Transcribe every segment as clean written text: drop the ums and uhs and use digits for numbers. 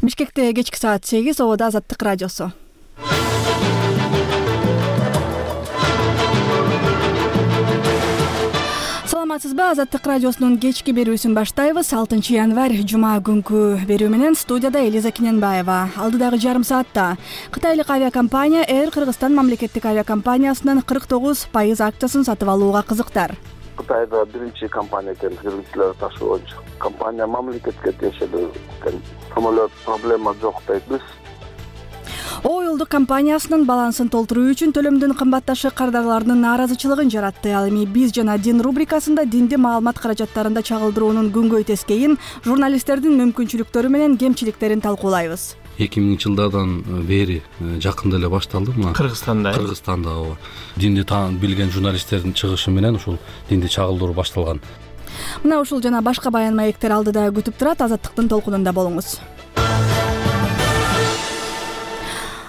Бишкекте кечки саат 8, Обода Азаттык радиосу. Саламатсызбы? Азаттык радиосунун кечки берүүсүн баштайбыз. 6 январь жума күнкү берүү менен студияда Элиза Кененбаева. Алдыдагы жарым саатта Кытайлык авиакомпания Air Кыргызстан мамлекеттик авиакомпаниясынын 49% акциясын сатып алууга кызыктар. Кытайда биринчи компания экен жүргүзүүлөр ташууучу компания, мамлекетке тиешелүү экен. Самолет проблема жок дейбиз. Оюлдук компаниясынын балансын толтуруу үчүн төлөмдүн кымбатташы кардарларынын нааразычылыгын жаратты. Ал эми биз жана дин рубрикасында динди маалымат каражаттарында чагылдыруунун күнгөй тескейин, журналисттердин мүмкүнчүлүктөрү менен кемчиликтерин талкуулайбыз. 2000 жылдардан бери жакында эле башталды мына Кыргызстанда ооба. Динди билген журналисттердин чыгышы менен ушул динди чагылдыруу башталган. Мына ушул жана башка баян маектер алдыда күтүп турат. Азаттыктын толкунунда болуңуз.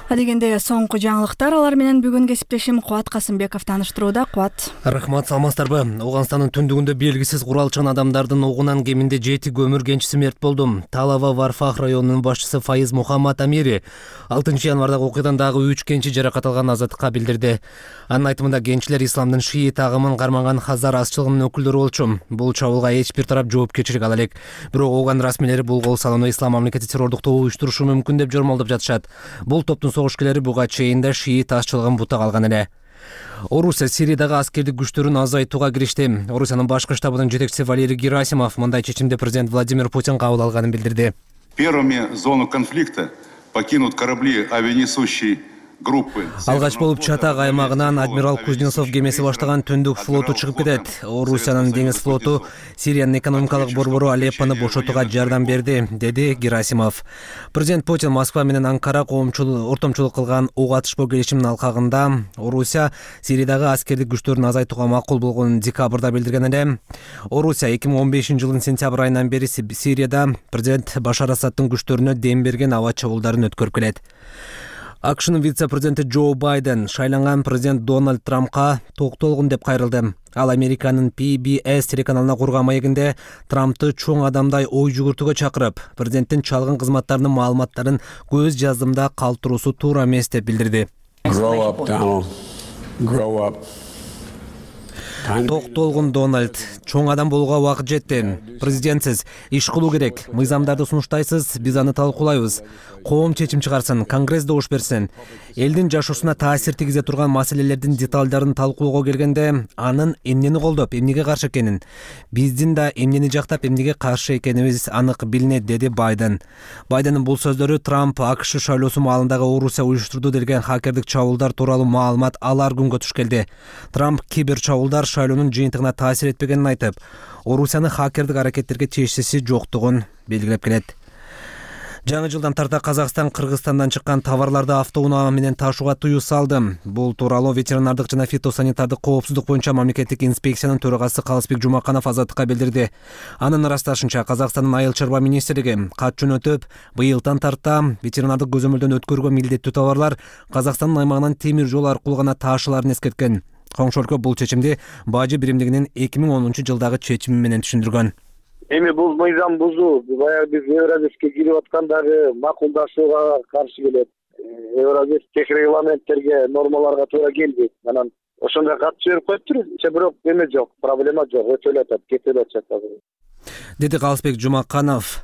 Адегенде соңку жаңылыктар, алар менен бүгүн кесиптешим Кубат Касымбеков тааныштырууда. Кубат. Рахмат, саламатсыздарбы? Ооганстандын түндүгүндө белгисиз куралчан адамдардын огунан кеминде 7 көмүр кенчиси мерт болду. Талава Варфах районунун башчысы Файыз Мухаммад Амири 6 январдагы окуядан дагы 3 кенчи жаракат алган Азаттыкка билдирди. Анын айтымында кенчилер исламдын шиит агымын кармаган Хазар азчылыгынын өкүлдөрү болчу. Бул чабуулга эч бир тарап жоопкерчилик ала элек. Бирок Ооган расмийлери бул кол салууну ислам мамлекети террордук тобу уюштурушу мүмкүн деп жормолдоп жатышат. Бул топтун согушкерлери буга чейин да шиит азчылыгын бута калган эле. Орусия Сириядагы аскердик күчтөрүн азайтууга киришти. Орусиянын башкы штабынын жетекчиси Валерий Герасимов мындай чечимди президент Владимир Путин кабыл алганын билдирди. Первыми зону конфликта покинут корабли авианесущей группы. Алгач болуп Чатак аймагынан адмирал Кузнецов кемеси баштаган түндүк флоту чыгып кетет. Орусиянын деңиз флоту Сириянын экономикалык борбору Алеппону бошотууга жардам берди, деди Герасимов. Президент Путин Москва менен Анкара ортомчулук кылган ок атышпоо келишиминин алкагында Орусия Сириядагы аскердик күчтөрүн азайтууга макул болгонун декабрда билдирген эле. Орусия 2015-жылдын сентябрь айынан бери Сирияда президент Башар Асадтын күчтөрүнө дем берген аба чабуулдарын өткөрүп келет. АКШнын вице-президенти Джо Байден шайланган президент Дональд Трампка токтолгун деп кайрылды. Ал Американын PBS телеканалына курган маегинде Трампты чоң адамдай ой жүгүртүүгө чакырып, президенттин чалгын кызматтарынын маалыматтарын көз жаздымда калтыруусу туура эмес деп билдирди. Токтолгун Дональд, чоң адам болууга убакыт жетти. Президентсиз иш кылуу керек. Мыйзамдарды сунуштайсыз, биз аны талкуулайбыз. Коом чечим чыгарсын, Конгресс добуш берсин. Элдин жашоосуна таасир тийгизе турган маселелердин деталдарын талкуулоого келгенде, анын эмнени колдоп, эмнеге каршы экенин, биздин да эмнени жактап, эмнеге каршы экенибиз анык билинет, деди Байден. Байдендин бул сөздөрү Трамп АКШ шайлоосу маалындагы Орусия уюштурду делген хакердик чабуулдар тууралуу маалымат алар күнгө туш келди. Трамп кибер чабуулдар шайлоонун жыйынтыгына таасир этпегенин айтып, Орусиянын хакердик аракеттерге тиешеси жоктугун белгилеп келет. Жаңы жылдан тарта Казакстан Кыргызстандан чыккан товарларды автоунаа менен ташууга тыюу салды. Бул тууралуу ветеринардык жана фитосанитардык коопсуздук боюнча мамлекеттик инспекциянын төрагасы Калысбек Жумаканов Азаттыкка билдирди. Анын ырасташынча, Казакстандын айыл чарба министрлиги кат жөнөтүп, быйылдан тарта ветеринардык көзөмөлдөн өткөрүүгө милдеттүү товарлар Казакстандын аймагынан темир жол аркылуу гана таашыларын эскерткен. Коңшу өлкө бул чечимди Бажы биримдигинин 2010-жылдагы чечими менен түшүндүргөн. Эми бул мыйзам бузуу, баягы биз Евразиске кирип аткандагы макулдашууга каршы келет. Евразис тех регламенттерге, нормаларга туура келбейт. Анан ошондой кат жиберип коюптур. Бирок эме жок, проблема жок, өтөлүп атат, кетип атат азыр. Деди Калысбек Жумаканов.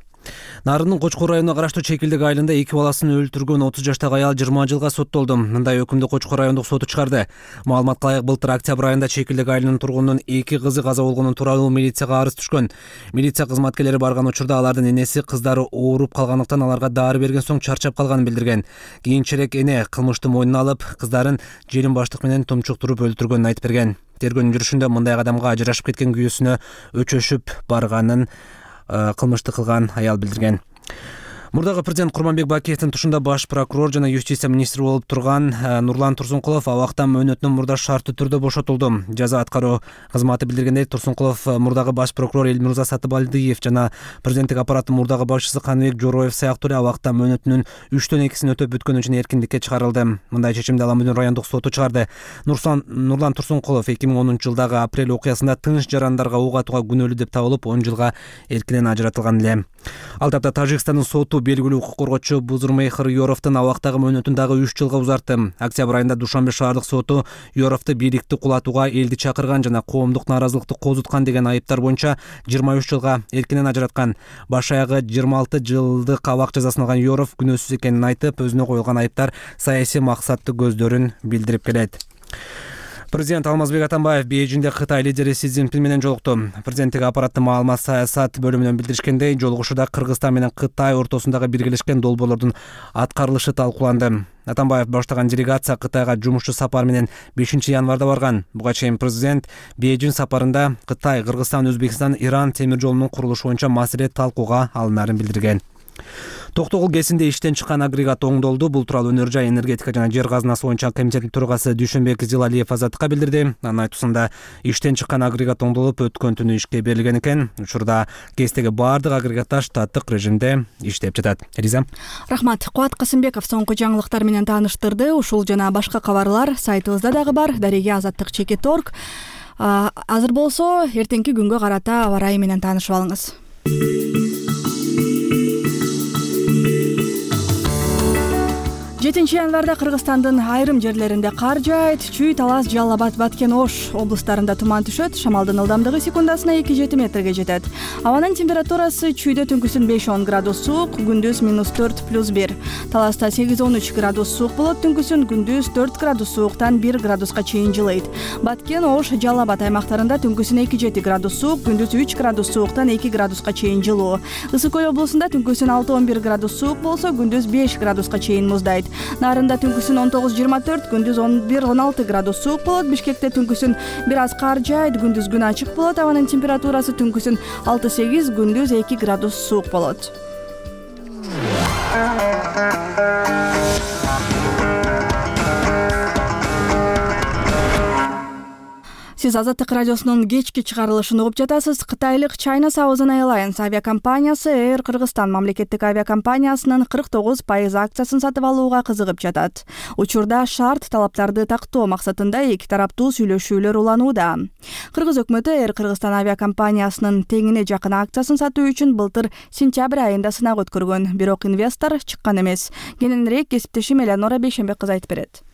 Нарындын Кочкор районуна караштуу Чекилдик айылында 2 баласын өлтүргөн 30 жаштагы аял 20 жылга соттолду. Мындай өкүмдү Кочкор райондук соту чыгарды. Маалыматка ылайык, былтыр октябрь айында Чекилдик айылынын тургунунун 2 кызы каза болгонун тууралуу милицияга арыз түшкөн. Милиция кызматкерлери барган учурда алардын энеси кыздары ооруп калгандыктан аларга дары берген соң чарчап калганын билдирген. Кийинчерээк эне кылмышты мойнуна алып, кыздарын желим баштык менен тумчуктуруп өлтүргөнүн айтып берген. Тергөөнүн жүрүшүндө мындай адамга ажырашып кеткен күйөөсүнө өчөшүп барганын кылмышты кылган аял билдирген. Мурдагы президент Курманбек Бакиевдин тушунда баш прокурор жана юстиция министри болуп турган Нурлан Турсункулов абактан мөөнөтүнөн мурда шарттуу түрдө бошотулду. Жаза аткаруу кызматы билдиргендей, Турсункулов мурдагы баш прокурор Элмирза Сатыбалдиев жана президенттик аппараттын мурдагы башчысы Каныбек Жороев сыяктуу эле абактан мөөнөтүнүн 3/2 өтөп бүткөн үчүн эркиндикке чыгарылды. Мындай чечимди Аламүдүн райондук соту чыгарды. Нурлан Турсункулов 2010-жылдагы апрель окуясында тыныч жарандарга ок атууга күнөөлүү деп табылып, 10 жылга эркинен ажыратылган эле. Ал тапта Тажикстандын соту белгилүү укук коргоочу Бузурмейхер Yorovдун абактагы мөөнөтүн дагы 3 жылга узартты. Октябрь айында Душанбе шаардык соту Yorovду бийликти кулатууга, элди чакырган жана коомдук нааразылыкты козуткан деген айыптар боюнча 23 жылга эркинен ажыраткан. Баш аягы 26 жылдык абак жазасын алган Yorov күнөөсүз экенин айтып, өзүнө коюлган айыптар саясий максаттуу көздөрүн билдирип келет. Президент Алмазбек Атамбаев Бейжиңде Кытай лидери Си Цзиньпин менен жолукту. Президенттик аппараттын маалымат саясат бөлүмүнөн билдиришкендей, жолугушууда Кыргызстан менен Кытай ортосундагы биргелешкен долбоорлордун аткарылышы талкууланды. Атамбаев баштаган делегация Кытайга жумушчу сапар менен 5 январда барган. Буга чейин президент Бейжиң сапарында Кытай, Кыргызстан, Өзбекстан, Иран темир жолунун курулушу боюнча маселе талкууга алынарын билдирген. Токтогул КЭСинде иштен чыккан агрегат оңдолду. Бул тууралуу Өнөр жай, энергетика жана жер казынасы боюнча комитеттин төрагасы Дүйшөнбек Зилалиев Азаттыкка билдирди. Анын айтуусунда иштен чыккан агрегат оңдолуп, өткөн түнү ишке берилген экен. Учурда КЭСтеги баардык агрегаттар штаттык режимде иштеп жатат. Риза. Рахмат. Кубат Касымбеков соңку жаңылыктар менен тааныштырды. Ушул жана башка кабарлар сайтыбызда дагы бар. Дареге Азаттык.org. Азыр болсо эртеңки күнгө карата аба ырайы менен таанышып алыңыз. 7 январда Кыргызстандын айрым жерлеринде кар жаайт. Чүй, Талас, Жалал Абад, Баткен, Ош облустарында туман түшөт. Шамалдын ылдамдыгы секундасына 2-7 метрге жетет. Абанын температурасы чүйдө түнкүсүн 5-10 градус суук, күндүз -4 +1. Таласта 8-13 градус суук болот, түнкүсүн күндүз 4 градус сууктан 1 градуска чейин жылыйт. Баткен, Ош, Жалал Абад аймактарында түнкүсүн 2-7 градус суук, күндүз 3 градус сууктан 2 градуска чейин жылуу. Ысык Көл облусунда түнкүсүн 6-11 градус суук болсо, күндүз 5 градуска чейин муздайт. Нарында түнкүсүн 19-24, күндүз 11-16 градус суук болот. Бишкекте түнкүсүн бир аз кар жаайт, күндүз күн ачык болот. Абанын температурасы түнкүсүн 6-8, күндүз 2 градус суук болот. Сиз Азаттык радиосунун кечки чыгарылышын угуп жатасыз. Кытайлык China Southern Airlines авиакомпаниясы Air Кыргызстан мамлекеттик авиакомпаниясынын 49% акциясын сатып алууга кызыгып жатат. Учурда шарт талаптарды тактоо максатында эки тараптуу сүйлөшүүлөр уланууда. Кыргыз өкмөтү Air Кыргызстан авиакомпаниясынын теңине жакын акциясын сатуу үчүн былтыр сентябрь айында сынак өткөргөн, бирок инвестор чыккан эмес. Кененирээк кесиптешим Элеонора Бейшенбек кыз айтып берет.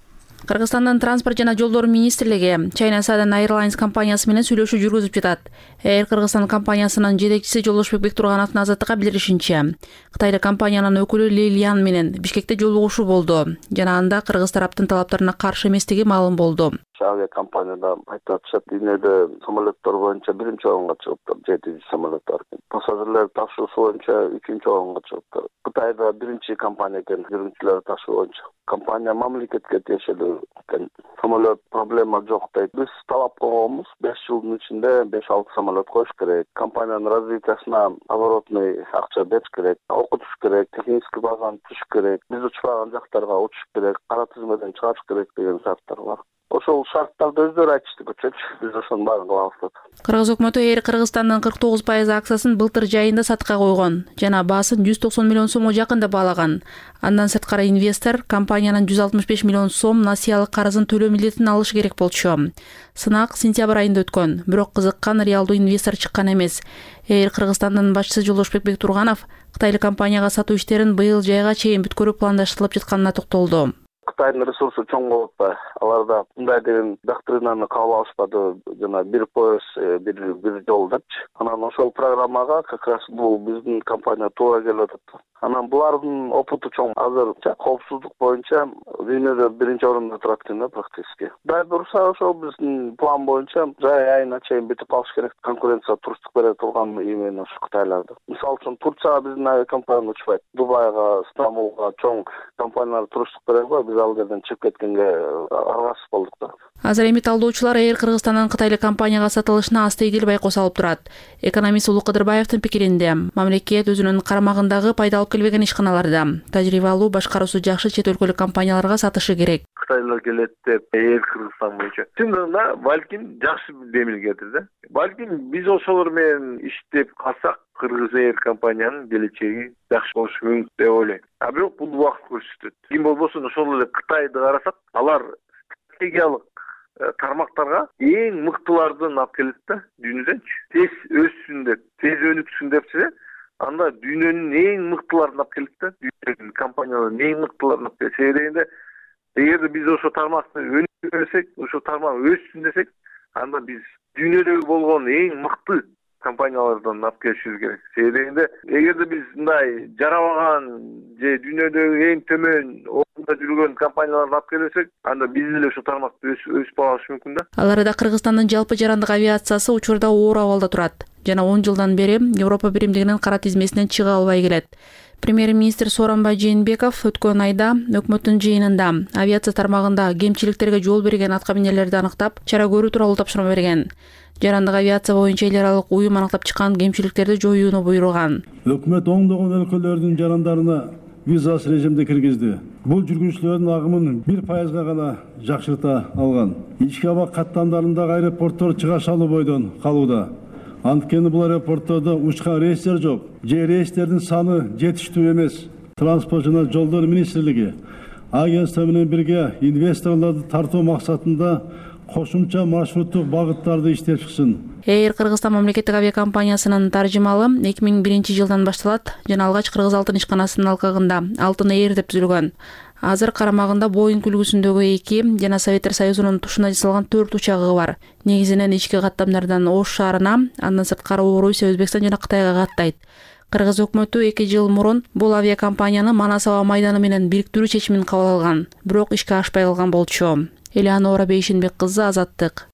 Кыргызстандын транспорт жана жолдор министрлиги China Southern Airlines компаниясы менен сүйлөшүү жүргүзүп жатат. Air Кыргызстан компаниясынын жетекчиси Жолдошбек Бектургановдун Азаттыкка билдиришинче, Кытайлык компаниянын өкүлү Лилиан менен Бишкекте жолугушуу болду жана анда кыргыз тараптын талаптарына каршы эместиги маалым болду. Авиакомпанияда айтып атышат, дүйнөдө самолеттор боюнча 1-орунга чыгыптыр, 7 самолеттор. Пассажирлер ташуусу боюнча 3-орунга чыгыптыр. Кытайда 1 компания экен, жүргүнчүлөр ташуу боюнча. Компания мамлекетке тиешелүү экен. Самолет проблема жок дейт. Биз талап койгонбуз 5 жылдын ичинде 5-6 самолет коюш керек. Компаниянын развитиясына оборотный акча бериш керек, окутуш керек, технический базаны түзүш керек, биз учпаган жактарга учуш керек, кара тизмеден чыгарыш керек деген шарттар бар. Ошол шарттарды өздөрү айтышты, биз ошонун баарын кылабыз. Кыргыз өкмөтү Air Кыргызстандын 49% акциясын былтыр жайында сатка койгон жана баасын 190 миллион сомго жакында баалаган. Андан сырткары инвестор компаниянын 165 миллион сом насыялык карызын төлөө милдетин алышы керек болчу. Сынак сентябрь айында өткөн, бирок кызыккан реалдуу инвестор чыккан эмес. Air Кыргызстандын башчысы Жолдошбек Бектурганов Кытайлык компанияга сатуу иштерин быйыл жайга чейин бүткөрүү пландаштырылып жатканына токтолду. Кытайдын ресурсу чоң болуп атпайбы? Аларда мындай деген доктринаны кабыл алышпады, жана бир пояс, бир жол депчи. Анан ошол программага как раз бул биздин компания туура келип атат. Анан булардын опыту чоң. Азыр коопсуздук боюнча дүйнөдө 1-орунда турат экен да практически. Дай бурса ошол биздин план боюнча жай айына чейин бүтүп калыш керек. Конкуренция туруштук бере турган именно ушу Кытайларда. Мисалы үчүн Турцияга биздин авиакомпания учпайт. Дубайга, Стамбулга чоң компаниялар туруштук берет го. Биз ал жерден чыгып кеткенге аргасыз болдук да. Азыр эми талдоочулар Air Кыргызстандын Кытайлык компанияга сатылышына аста-ийгил байкоо салып турат. Экономист Улуу Кыдырбаевдин пикиринде, мамлекет өзүнүн карамагындагы пайда алып келбеген ишканаларда тажрыйба алуу, башкаруусу жакшы чет өлкөлүк компанияларга сатышы керек. Кытайлар келет деп Air Кыргызстан боюнча. Чындыгында балким жакшы демилгедир да. Балким биз ошолор менен иштеп калсак, Кыргыз Air компаниянын келечеги жакшы болушу мүмкүн деп ойлойм. Бирок бул убакыт көрсөтөт. Ким болбосун ошол эле Кытайды карасак, алар стратегиялык тармактарга эң мыктылардын алып келет да дүйнөдөнчү. Тез өссүн деп, тез өнүксүн депчи, анда дүйнөнүн эң мыктыларын алып келет да, дүйнөнүн компанияларынын эң мыктыларын алып келет. Себеби дегенде эгерде биз ошо тармакты өнүктүрсөк, ошо тармак өссүн десек, анда биз дүйнөдөгү болгон эң мыкты компаниялардан алып келишибиз керек. Себеби дегенде эгерде биз мындай жарабаган же дүйнөдөгү эң төмөн орунда жүргөн компанияларды алып келсек, анда биз деле ошо тармакты өсүп алыш мүмкүн да. Ал арада Кыргызстандын жалпы жарандык авиациясы учурда оор абалда турат жана 10 жылдан бери Европа биримдигинин кара тизмесинен чыга албай келет. Премьер-министр Сооронбай Жээнбеков өткөн айда өкмөттүн жыйынында авиация тармагында кемчиликтерге жол берген аткаминерлерди аныктап, чара көрүү тууралуу тапшырма берген. Жарандык авиация боюнча эл аралык уюм аныктап чыккан кемчиликтерди жоюуну буйруган. Өкмөт оңдогон өлкөлөрдүн жарандарына визасыз режимде киргизди. Бул жүргүнчүлөрдүн агымын 1% гана жакшырта алган. Ички аба каттамдарындагы аэропорттор чыгаш алуу бойдон калууда. Анткени бул аэропорттордо учкан рейстер жок, же рейстердин саны жетиштүү эмес. Транспорт жана жолдор министрлиги агентство менен бирге инвесторлорду тартуу максатында кошумча маршруттук багыттарды иштеп чыксын. Air Кыргызстан мамлекеттик авиакомпаниясынын таржымалы 2001 жылдан башталат жана алгач Кыргыз алтын ишканасынын алкагында Алтын Air деп түзүлгөн. Азыр карамагында Boeing үлгүсүндөгү 2 жана Советтер Союзунун тушуна жасалган 4 учагы бар. Негизинен ички каттамдардан Ош шаарына, андан сырткары Орусия, Өзбекстан жана Кытайга каттайт. Кыргыз өкмөтү 2 жыл мурун бул авиакомпанияны Манас аба майданы менен бириктирүү чечимин кабыл алган, бирок ишке ашпай калган болчу. Элеонора Бейшенбек кызы, Азаттык.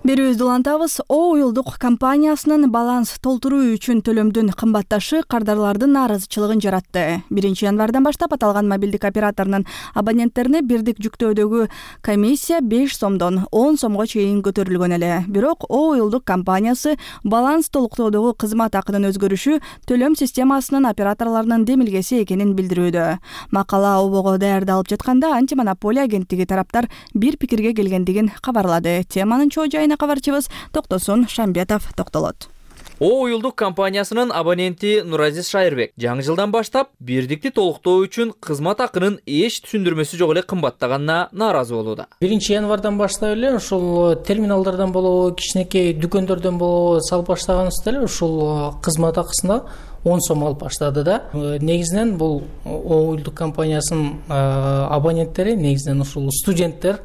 Берүүбүздү улантабыз. Уюлдук компаниясынын баланс толтуруу үчүн төлөмдүн кымбатташы кардарлардын нааразычылыгын жаратты. 1-январдан баштап аталган мобилдик операторунун абоненттерине бирдик жүктөөдөгү комиссия 5 сомдон 10 сомго чейин көтөрүлгөн эле. Бирок уюлдук компаниясы баланс толуктоодогу кызмат акынын өзгөрүшү төлөм системасынын операторлорунун демилгеси экенин билдирүүдө. Макала обого даярдалып жатканда антимонополия агенттиги тараптар бир пикирге келгендигин кабарлады. Теманын чоо жайына кабарчыбыз Токтосун Шамбетов токтолот. Уюлдук компаниясынын абоненти Нуразис Шайырбек жаңы жылдан баштап бирдикти толуктоо үчүн кызмат акынын эч түшүндүрмөсү жок эле кымбаттаганына нааразы болууда. 1-январдан баштап эле ушул терминалдардан болобу, кичинекей дүкөндөрдөн болобу салып баштаганыбызда эле ушул кызмат акысына 10 сом алып баштады да. Негизинен бул уюлдук компаниясынын абоненттери, негизинен ушул студенттер,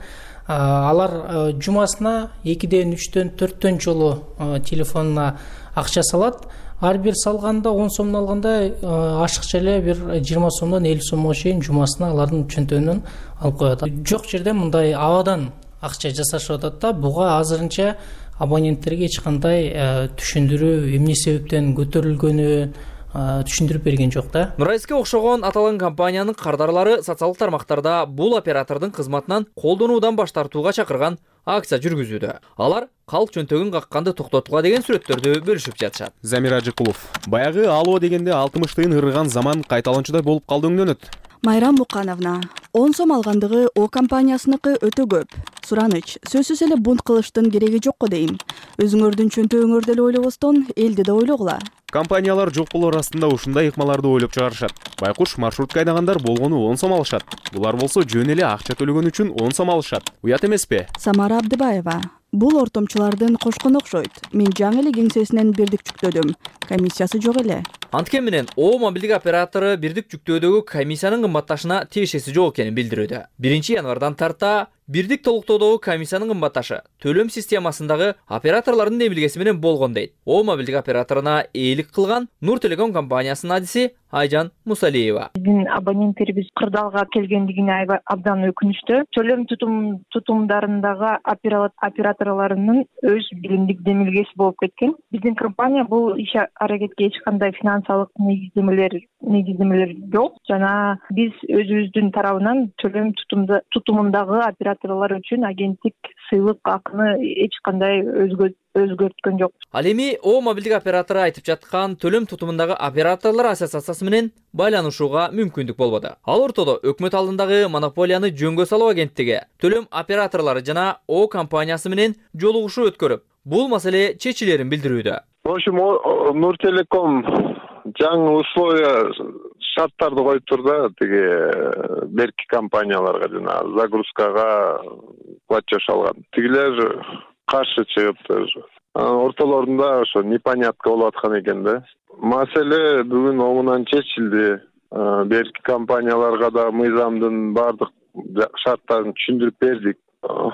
алар жумасына 2ден 3дөн 4дөн жолу телефонуна акча салат. Ар бир салганда 10 сомдон алганда ашыкча эле бир 20 сомдон 50 сомго чейин жумасына алардын чөнтөгүнөн алып коет. Жок жерде мындай абадан акча жасашып атат да. Буга азырынча абоненттерге эч кандай түшүндүрүү, эмне себептен көтөрүлгөнү түшүндүрүп берген жок да. Нурайске окшогон аталган компаниянын кардарлары социалдык тармактарда бул оператордун кызматынан колдонуудан баш тартууга чакырган акция жүргүзүүдө. Алар калк чөнтөгүн какканды токтотууга деген сүрөттөрдү бөлүшүп жатышат. Замир Ажыкулов: баягы алуу дегенде 60-тыйын ырган заман кайталанчудай болуп калды өңдөнөт. Майрам Мукановна: 10 сом алгандыгы О компаниясыныкы өтө көп. Сураныч, сөзсүз эле бунт кылыштын кереги жокко дейм. Өзүңөрдүн чөнтөгүңөрдү эле ойлобостон, элди да ойлогула. Компаниялар жок болор астында ушундай ыкмаларды ойлоп чыгарышат. Байкуш маршрутка айдагандар болгону 10 сом алышат. Булар болсо жөн эле акча төлөгөн үчүн 10 сом алышат. Уят эмеспи? Самара Абдыбаева: бул ортомчулардын кошкону окшойт. Мен жаңы эле кеңсесинен бирдик жүктөдүм. Комиссиясы жок эле. Анткен менен О мобилдик оператору бирдик жүктөөдөгү комиссиянын кымбатташына тиешеси жок экенин билдирүүдө. 1-январдан тарта бирдик толуктоодогу комиссиянын кымбатташы төлөм системасындагы операторлордун демилгеси менен болгон дейт. О мобилдик операторуна ээлик кылган Нур Телеком компаниясынын адиси Айжан Мусалиева: биздин абоненттерибиз кырдаалга келгендигине абдан өкүнүчтүү. Төлөм тутумдарындагы операторлорунун өз билимдик демилгеси болуп кеткен. Биздин компания бул иш аракетке эч кандай финансылык негиздемелер жок жана биз өзүбүздүн тарабынан төлөм тутумундагы операторлор үчүн агенттик сыйлык акыны эч кандай өзгөрткөн жок. Ал эми О мобилдик оператору айтып жаткан төлөм тутумундагы операторлор ассоциациясы менен байланышууга мүмкүндүк болбоду. Ал ортодо өкмөт алдындагы монополияны жөнгө салуу агенттиги төлөм операторлору жана О компаниясы менен жолугушуу өткөрүп, бул маселе чечилерин билдирүүдө. В общем, Нур Телеком жаңы условия шарттарды коюптур да, тиги берки компанияларга жана загрузкага платеж алган. Тигилер каршы чыгыптыр. Ортолорунда ошо непонятка болуп аткан экен да. Маселе бүгүн оңунан чечилди. Берки компанияларга да мыйзамдын бардык шарттарын түшүндүрүп бердик.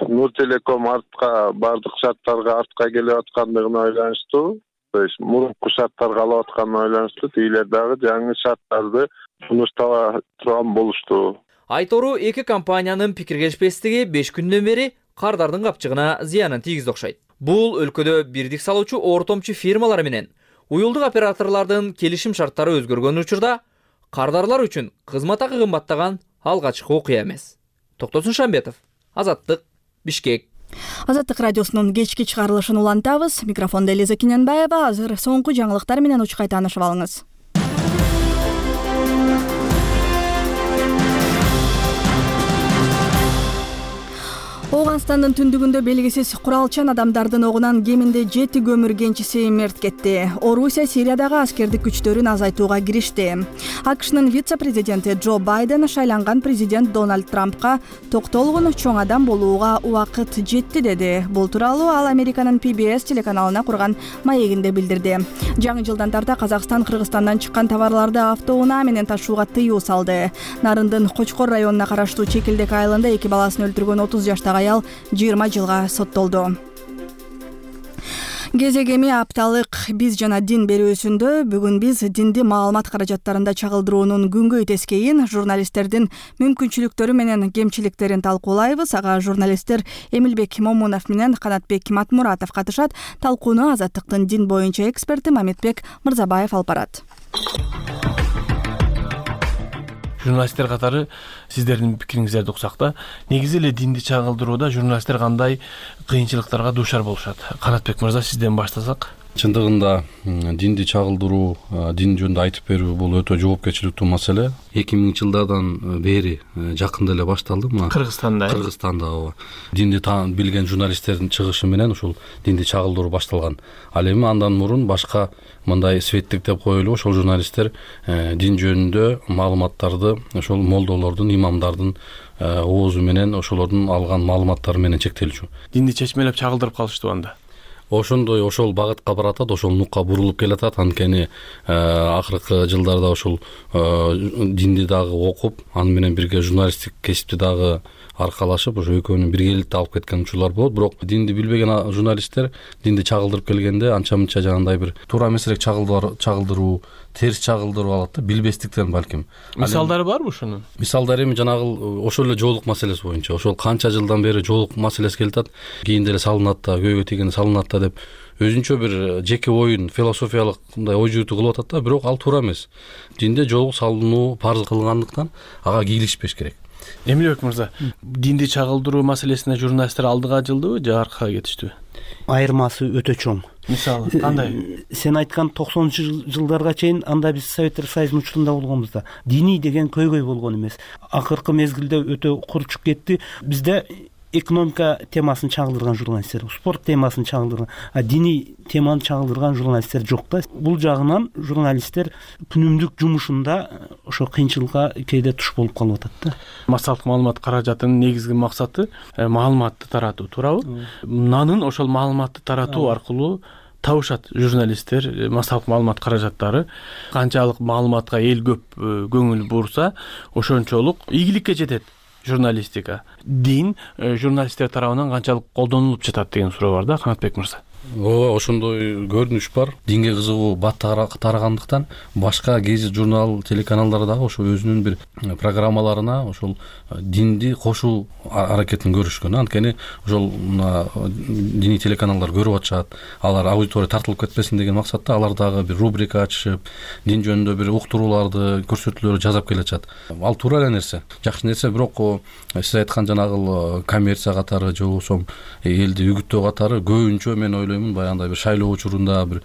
Нуртелеком бардык шарттарга артка келип аткандыгына байланыштуу, то есть мурунку шарттарга алып атканына байланыштуу тигилер дагы жаңы шарттарды сунуштала турган болушту. Айтору эки компаниянын пикир келишпестиги 5 күндөн бери кардардын капчыгына зыянын тийгизди окшойт. Бул өлкөдө бирдик салуучу ортомчу фирмалар менен уюлдук операторлордун келишим шарттары өзгөргөн учурда кардарлар үчүн кызмат акы кымбаттаган алгачкы окуя эмес. Токтосун Шамбетов, Азаттык, Бишкек. Азаттык радиосунун кечки чыгарылышын улантабыз. Микрофондо Элиза Киненбаева. Азыр соңку жаңылыктар менен учкай таанышып алыңыз. Ооганстандын түндүгүндө белгисиз куралчан адамдардын огунан кеминде 7 көмүр кенчиси мерт кетти. Орусия Сириядагы аскердик күчтөрүн азайтууга киришти. АКШнын вице-президенти Джо Байден шайланган президент Дональд Трампка токтолгун чоң адам болууга убакыт жетти деди. Бул тууралуу ал Американын PBS телеканалына курган маегинде билдирди. Жаңы жылдан тарта Казакстан Кыргызстандан чыккан товарларды автоунаа менен ташууга тыюу салды. Нарындын Кочкор районуна караштуу Чекилдек айылында 2 баласын өлтүргөн 30 жаштагы аял 20 жылга соттолду. Кезегеми апталык биз жана дин берүүсүндө бүгүн биз динди маалымат каражаттарында чагылдыруунун күнгөй тескейин, журналисттердин мүмкүнчүлүктөрү менен кемчиликтерин талкуулайбыз. Ага журналисттер Эмилбек Момунов менен Канатбек Матмуратов катышат. Талкууну Азаттыктын дин боюнча эксперти Мамитбек Мырзабаев алып барат. Журналисттер катары сиздердин пикириңиздерди уксак да, негизи эле динди чагылдырууда журналисттер кандай кыйынчылыктарга дуушар болушат? Канатбек мырза, сизден баштасак. Чындыгында динди чагылдыруу, дин жөнүндө айтып берүү бул өтө жоопкерчиликтүү маселе. 2000-жылдардан бери жакында эле башталды. Кыргызстанда ооба. Динди билген журналисттердин чыгышы менен ушул динди чагылдыруу башталган. Ал эми андан мурун башка мындай светтик деп коелу, ошол журналисттер дин жөнүндө маалыматтарды ошол молдолордун, имамдардын оозу менен ошолордун алган маалыматтары менен чектелчү. Динди чечмелеп чагылдырып калыштуу анда. Ошондой ошол багытка баратат, ошол нукка бурулуп келатат. Анткени акыркы жылдарда ошол динди дагы окуп, аны менен бирге журналисттик кесипти дагы аркалашып, ошо экөөнүн биргеликте алып кеткен учурлар болот. Бирок динди билбеген журналисттер динди чагылдырып келгенде анча-мынча жанагындай бир туура эмесирээк чагылдыруу, терс чагылдырып алат да, билбестиктен балким. Мисалдары барбы ошонун? Мисалдары эми жанагы ошол эле жоолук маселеси боюнча. Ошол канча жылдан бери жоолук маселеси келатат. Кийинде эле салынат да, көйгөй тийгенде салынат да деп өзүнчө бир жеке оюн, философиялык мындай ой жүгүтүү кылып атат да, бирок ал туура эмес. Динде жоолук салынуу парыз кылгандыктан ага кийлишпеш керек. Эмилбек мырза, динди чагылдыруу маселесине журналисттер алдыга жылдыбы же аркага кетиштиби? Айырмасы өтө чоң. Мисалы кандай? Сен айткан 90-жылдарга чейин анда биз Советтер Союзунун учурунда болгонбуз. Диний деген көйгөй болгон эмес. Акыркы мезгилде өтө курчуп кетти. Бизде экономика темасын чагылдырган журналисттер, спорт темасын чагылдырган, диний теманы чагылдырган журналисттер жок да. Бул жагынан журналисттер күнүмдүк жумушунда ошо кыйынчылыкка кээде туш болуп калып атат да. Массалык маалымат каражатынын негизги максаты маалыматты таратуу, туурабы? Нанын ошол маалыматты таратуу аркылуу табышат журналисттер, массалык маалымат каражаттары. Канчалык маалыматка эл көп көңүл бурса, ошончолук ийгиликке жетет журналистика. Дин журналисттер тарабынан канчалык колдонулуп жатат деген суроо бар да, Канатбек мырза. Ооба, ошондой көрүнүш бар. Динге кызыгуу бат тарагандыктан башка гезит, журнал, телеканалдар дагы ошо өзүнүн бир программаларына ошол динди кошуу аракетин көрүшкөн. Анткени ошол диний телеканалдар көрүп атышат, алар аудитория тартылып кетпесин деген максатта алар дагы бир рубрика ачышып, дин жөнүндө бир уктурууларды, көрсөтүүлөрдү жасап келатышат. Ал туура эле нерсе, жакшы нерсе, бирок сиз айткан жанагы коммерция катары же болбосо элди үгүттөө катары көбүнчө мен ойлойм ойлоймун баягындай бир шайлоо учурунда бир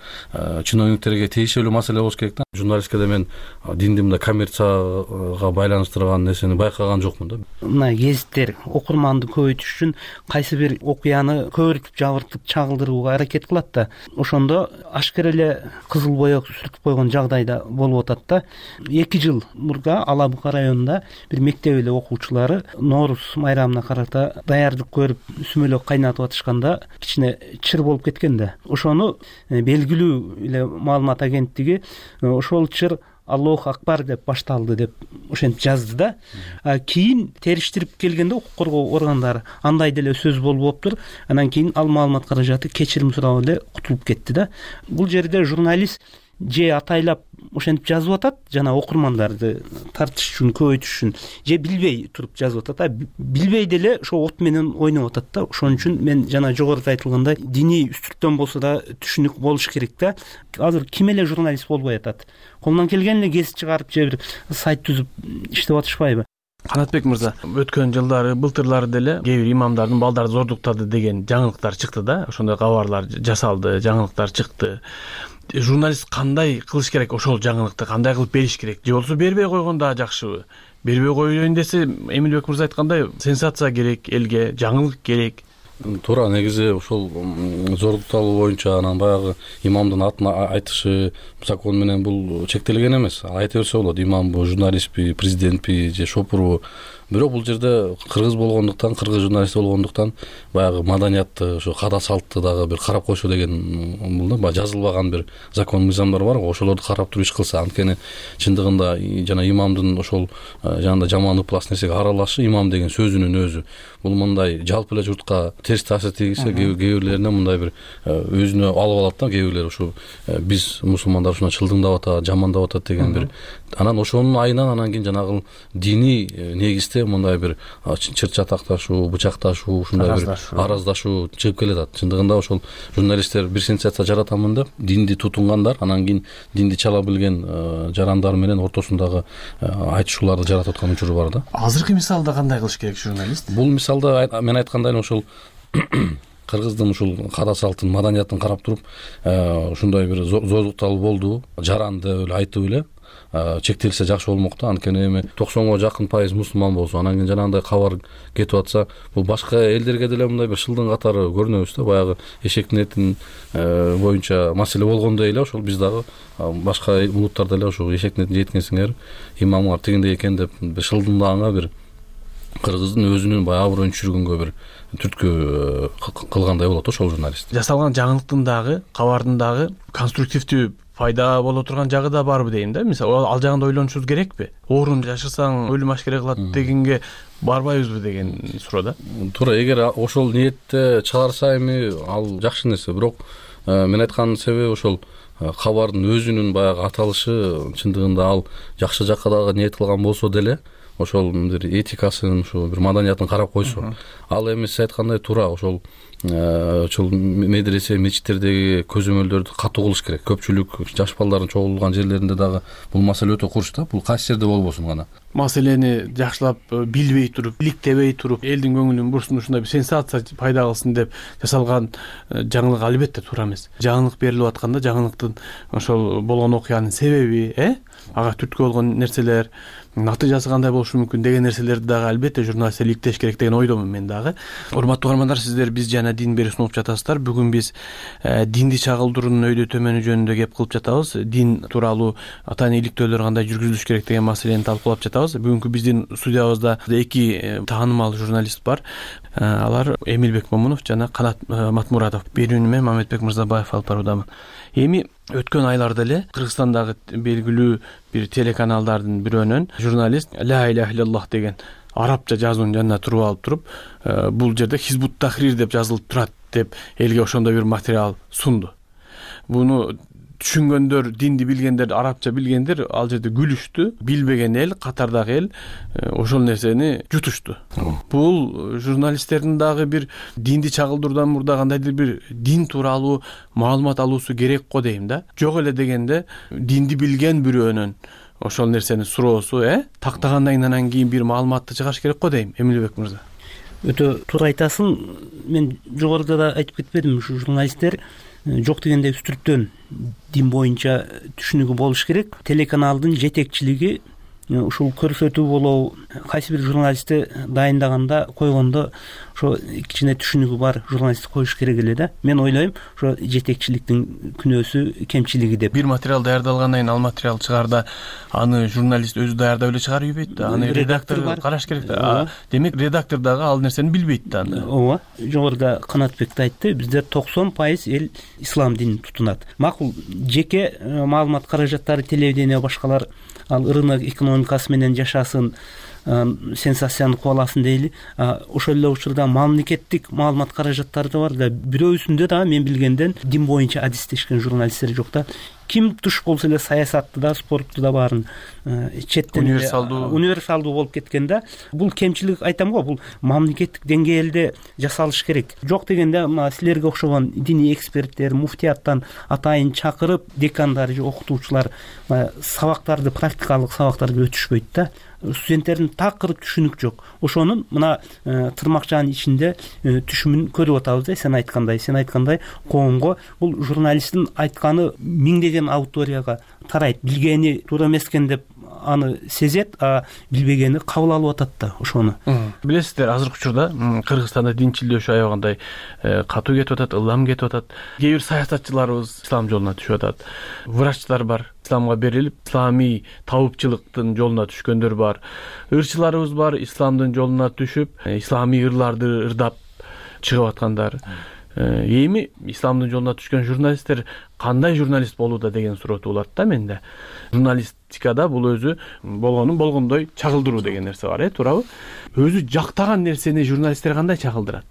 чиновниктерге тиешелүү маселе болуш керек да. Журналисткеде мен динди мындай коммерцияга байланыштырган нерсени байкаган жокмун да. Мына гезиттер окурманды көбөйтүш үчүн кайсы бир окуяны көбүртүп жабыртып чагылдырууга аракет кылат да. Ошондо ашкер эле кызыл боек сүртүп койгон жагдайда болуп атат да. 2 жыл мурда Ала Бука районунда бир мектеп эле окуучулары Нооруз майрамына карата даярдык көрүп сүмөлөк кайнатып атышканда кичине чыр болуп кеткен да. Ошону белгилүү эле маалымат агенттиги ошол чыр Аллах акбар деп башталды деп ошентип жазды да. Кийин териштирип келгенде укук коргоо органдары андай деле сөз болуптур. Анан кийин ал маалымат каражаты кечирим сурап эле кутулуп кетти да. Бул жерде журналист же атайлап ошентип жазып атат, жана окурмандарды тартыш үчүн, көбөйтүш үчүн, же билбей туруп жазып атат. Билбей деле ошо от менен ойноп атат да. Ошон үчүн мен жана жогоруда айтылгандай диний үстүртөн болсо да түшүнүк болуш керек да. Азыр ким эле журналист болбой атат? Колунан келген эле гезит чыгарып же бир сайт түзүп иштеп атышпайбы? Канатбек мырза, өткөн жылдары, былтырлары деле кээ бир имамдардын балдары зордуктады деген жаңылыктар чыкты да. Ошондой кабарлар жасалды, жаңылыктар чыкты. Журналист кандай кылыш керек? Ошол жаңылыкты кандай кылып бериш керек? Же болбосо бербей койгон да жакшыбы? Бербей коеюн десе, Эмилбек мырза айткандай, сенсация керек элге, жаңылык керек. Туура, негизи ошол зордукталуу боюнча анан баягы имамдын атын айтышы закон менен бул чектелген эмес. Айта берсе болот, имамбы, журналистпи, президентпи же шопурбу. Бирок бул жерде кыргыз болгондуктан, кыргыз журналист болгондуктан баягы маданиятты, ошо када салтты дагы бир карап койсо деген бул да, баягы жазылбаган бир закон мыйзамдар бар го, ошолорду карап туруп иш кылса, анткени чындыгында жана имамдын ошол жанагындай жаман ыплас нерсеге аралашы, имам деген сөзүнүн өзү бул мындай жалпы эле журтка терс таасир тийгизсе, кээ бирлерине мындай бир өзүнө алып алат да, кээ бирлер ушу биз мусулмандар ушуна чылдыңдап атат, жамандап атат деген бир. Анан ошонун айынан анан кийин жанагы диний негизде мындай бир чыр чатакташуу, бычакташуу, ушундай бир араздашуу чыгып келатат. Чындыгында ошол журналисттер бир сенсация жаратамын деп динди тутунгандар, анан кийин динди чала билген жарандар менен ортосундагы айтышууларды жаратып аткан учуру бар да. Азыркы мисалда кандай кылыш керек журналист? Бул мисалда мен айткандай ошол кыргыздын ушул када салтын, маданиятын карап туруп, ушундай бир зордукталуу болду, жаранды эле айтып эле чектелсе жакшы болмок да. Анткени эми 90га жакын пайыз мусулман болсо, анан кийин жанагындай кабар кетип атса, бул башка элдерге деле мындай бир шылдың катары көрүнөбүз да. Баягы эшектин этин боюнча маселе болгондой эле ошол биз дагы башка улуттар деле ошол эшектин этин жеткенсиңер, имамыңар тигиндей экен деп бир шылдыңдаганга бир кыргыздын өзүнүн баягы аброюн түшүргөнгө бир түрткү кылгандай болот ошол журналист. Жасалган жаңылыктын дагы, кабардын дагы конструктивдүү пайда боло турган жагы да барбы дейм да. Мисалы ал жагында ойлонушубуз керекпи? Оорун жашырсаң өлүм ашкере кылат дегенге барбайбызбы деген суроо да. Туура, эгер ошол ниетте чыгарса эми ал жакшы нерсе. Бирок мен айткан себеби ошол кабардын өзүнүн баягы аталышы чындыгында ал жакшы жакка дагы ниет кылган болсо деле, ошол бир этикасын, ошол бир маданиятын карап койсо, ал эми сиз айткандай туура ошол медресе, мечиттердеги көзөмөлдөрдү катуу кылыш керек. Көпчүлүк жаш балдардын чогулган жерлеринде дагы бул маселе өтө курч да. Бул кайсы жерде болбосун гана. Маселени жакшылап билбей туруп, иликтебей туруп, элдин көңүлүн бурсун, ушундай бир сенсация пайда кылсын деп жасалган жаңылык албетте туура эмес. Жаңылык берилип атканда жаңылыктын ошол болгон окуянын себеби, ага түрткү болгон нерселер, натыйжасы кандай болушу мүмкүн деген нерселерди дагы албетте журналисттер иликтеш керек деген ойдомун мен дагы. Урматтуу угармандар, сиздер биз жана дин берүү сунуп жатасыздар. Бүгүн биз динди чагылдыруунун өйдө төмөнү жөнүндө кеп кылып жатабыз. Дин тууралуу атайын иликтөөлөр кандай жүргүзүлүш керек деген маселени талкуулап жатабыз. Бүгүнкү биздин студиябызда 2 таанымал журналист бар. Алар Эмилбек Момунов жана Канат Матмуратов. Берүүнү мен Мамедбек Мырзабаев алып баруудамын. Эми өткөн айларда эле Кыргызстандагы белгилүү бир телеканалдардын бирөөнөн журналист ла иляха иллаллах деген арабча жазуунун жанына туруп алып туруп, бул жерде Хизбут Тахрир деп жазылып турат деп элге ошондой бир материал сунду. Буну түшүнгөндөр, динди билгендер, арабча билгендер ал жерде күлүштү, билбеген эл, катардагы эл ошол нерсени жутушту. Бул журналисттердин дагы бир динди чагылдыруудан мурда кандайдыр бир дин тууралуу маалымат алуусу керек го дейм да. Жок эле дегенде динди билген бирөөнөн ошол нерсени суроосу, тактагандан анан кийин бир маалыматты чыгаш керек го дейм, Эмилбек мырза. өтө туура айтасың. Мен жогоруда да айтып кетпедимби, ушу журналисттер жок дегенде үстүрттөн дин боюнча түшүнүгү болуш керек. Телеканалдын жетекчилиги ушул көрсөтүү болобу, кайсы бир журналистти дайындаганда, койгондо ошо кичине түшүнүгү бар журналистти коюш керек эле да. Мен ойлойм, ошо жетекчиликтин күнөөсү, кемчилиги деп. Бир материал даярдалгандан кийин ал материал чыгаарда аны журналист өзү даярдап эле чыгарып ийбейт да. Аны редактор караш керек да. Демек редактор дагы ал нерсени билбейт да. Ооба. Жогоруда Канатбек да айтты, бизде 90% эл ислам динин тутунат. Макул, жеке маалымат каражаттары, телевидение башкалар ал рынок экономикасы менен жашасын, сенсацияны кубаласын дейли. Ошол эле учурда мамлекеттик маалымат каражаттары да бар да. Бирөөсүндө да мен билгенден дин боюнча адистешкен журналисттер жок да. Ким туш болсо эле саясатты да, спортту да баарын четтен универсалдуу болуп кеткен да. Бул кемчилик айтам го, бул мамлекеттик деңгээлде жасалыш керек. Жок дегенде мына силерге окшогон диний эксперттер, муфтияттан атайын чакырып, декандар же окутуучулар сабактарды, практикалык сабактарды өтүшпөйт да. Студенттердин такыр түшүнүк жок. Ошонун мына тырмакчанын ичинде түшүмүн көрүп атабыз да. Сен айткандай коомго бул журналисттин айтканы миңдеген аудиторияга тарайт. Билгени туура эмес экен деп аны сезет, билбегени кабыл алып атат да ошону. Билесиздер, азыркы учурда Кыргызстанда динчилдөөчү аябагандай катуу кетип атат, ылам кетип атат. Кээ бир саясатчыларыбыз ислам жолуна түшүп атат. Врачтар бар, исламга берилип, исламий табыпчылыктын жолуна түшкөндөр бар. Ырчыларыбыз бар, исламдын жолуна түшүп, исламий ырларды ырдап чыгып аткандар. Эми исламдын жолуна түшкөн журналисттер кандай журналист болууда деген суроо туулат да менде. Журналистикада бул өзү болгонун болгондой чагылдыруу деген нерсе бар, туурабы? Өзү жактаган нерсени журналисттер кандай чагылдырат?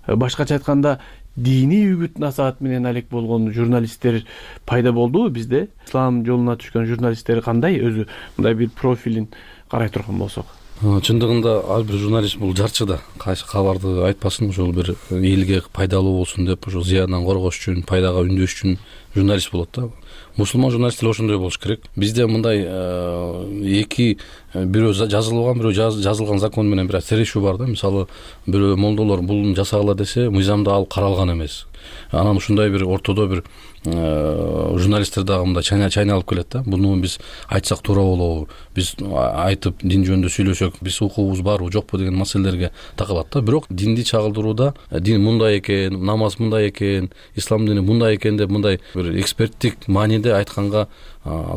Башкача айтканда, диний үгүт насаат менен алек болгон журналисттер пайда болдубу бизде? Ислам жолуна түшкөн журналисттер кандай өзү мындай бир профилин карай турган болсок? Чындыгында ар бир журналист бул жарчы да. Кайсы кабарды айтпасын, ошол бир элге пайдалуу болсун деп, ошо зыяндан коргош үчүн, пайдага үндөш үчүн журналист болот да. Мусулман журналисттер ошондой болуш керек. Бизде мындай эки бирөө жазылган, бирөө жазылган закон менен бир тирешүү бар да. Мисалы, бирөө молдолор бул жасагыла десе, мыйзамда ал каралган эмес. Анан ушундай бир ортодо бир журналисттер дагы мындай чайналып келет да. Буну биз айтсак туура болобу? Биз айтып дин жөнүндө сүйлөсөк, биз укугубуз барбы, жокпу деген маселелерге такылат да. Бирок динди чагылдырууда дин мындай экен, намаз мындай экен, ислам дини мындай экен деп мындай бир эксперттик мааниде айтканга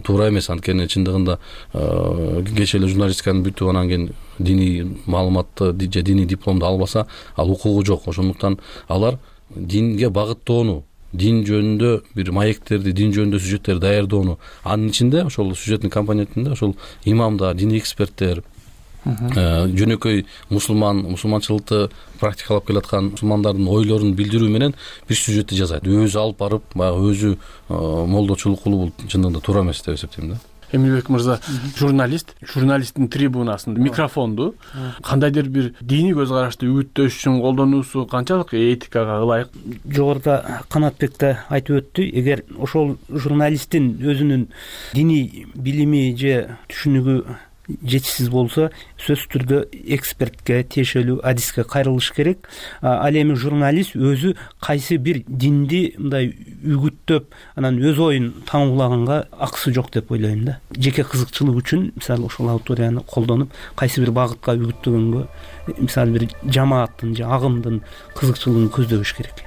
туура эмес. Анткени чындыгында кечээ эле журналистиканы бүтүп анан кийин диний маалыматты же диний дипломду албаса, ал укугу жок. Ошондуктан алар динге багыттоону, дин жөнүндө бир маектерди, дин жөнүндө сюжеттерди даярдоону, анын ичинде ошол сюжеттин компонентинде ошол имамдар, диний эксперттер, жөнөкөй мусулманчылыкты практикалап келаткан мусулмандардын ойлорун билдирүү менен бир сюжетти жасайт. Өзү алып барып, баягы өзү молдочулук кылуу бул чындыгында туура эмес деп эсептейм да. Эмилбек мырза, журналисттин трибунасын, микрофонду кандайдыр бир диний көз карашты үгүттөш үчүн колдонуусу канчалык этикага ылайык? Жогоруда Канатбек да айтып өттү, эгер ошол журналисттин өзүнүн диний билими же түшүнүгү жетишсиз болсо, сөзсүз түрдө экспертке, тиешелүү адиске кайрылыш керек. Ал эми журналист өзү кайсы бир динди мындай үгүттөп, анан өз оюн таңуулаганга акысы жок деп ойлойм да. Жеке кызыкчылык үчүн, мисалы, ошол аудиторияны колдонуп, кайсы бир багытка үгүттөгөнгө, мисалы, бир жамааттын же агымдын кызыкчылыгын көздөбөш керек.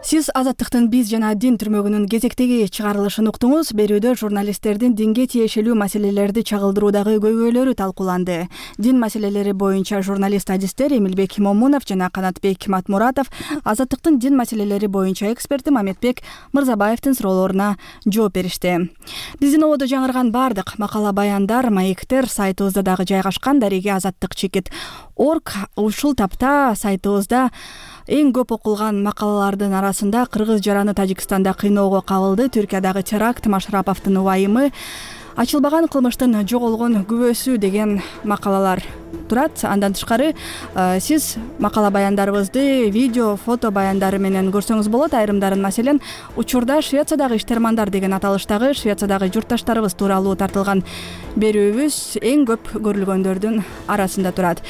Сиз Азаттыктын биз жана дин түрмөгүнүн кезектеги чыгарылышын уктуңуз. Берүүдө журналисттердин динге тиешелүү маселелерди чагылдыруудагы көйгөйлөрү талкууланды. Дин маселелери боюнча журналист адистер Эмилбек Момунов жана Канатбек Матмуратов, Азаттыктын дин маселелери боюнча эксперти Маметбек Мырзабаевдин суроолоруна жооп беришти. Биздин ободо жаңырган бардык макала, баяндар, маектер сайтыбызда дагы жайгашкан. Дареги Азаттык.org ушул тапта сайтыбызда эң көп окулган макалалардын арасында кыргыз жараны Тажикстанда кыйноого кабылды, Түркиядагы теракт, Машраповдун убайымы, ачылбаган кылмыштын жоголгон күбөсү деген макалалар турат. Андан тышкары сиз макала баяндарыбызды видео, фото баяндары менен көрсөңүз болот. Айрымдарын маселен учурда Швециядагы иштермандар деген аталыштагы Швециядагы журтташтарыбыз тууралуу тартылган берүүбүз эң көп көрүлгөндөрдүн арасында турат.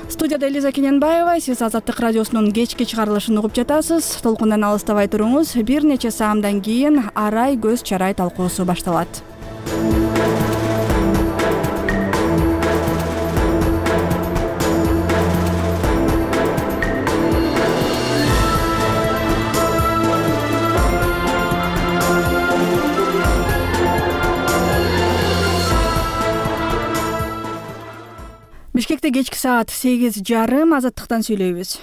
Студияда Элиза Кененбаева, сиз Азаттык радиосунун кечки чыгарылышын угуп жатасыз. Толкундан алыстабай туруңуз. Бир нече саамдан кийин арай көз чарай талкуусу башталат. Бишкекте кечки саат 8:30 Азаттыктан сүйлөйбүз.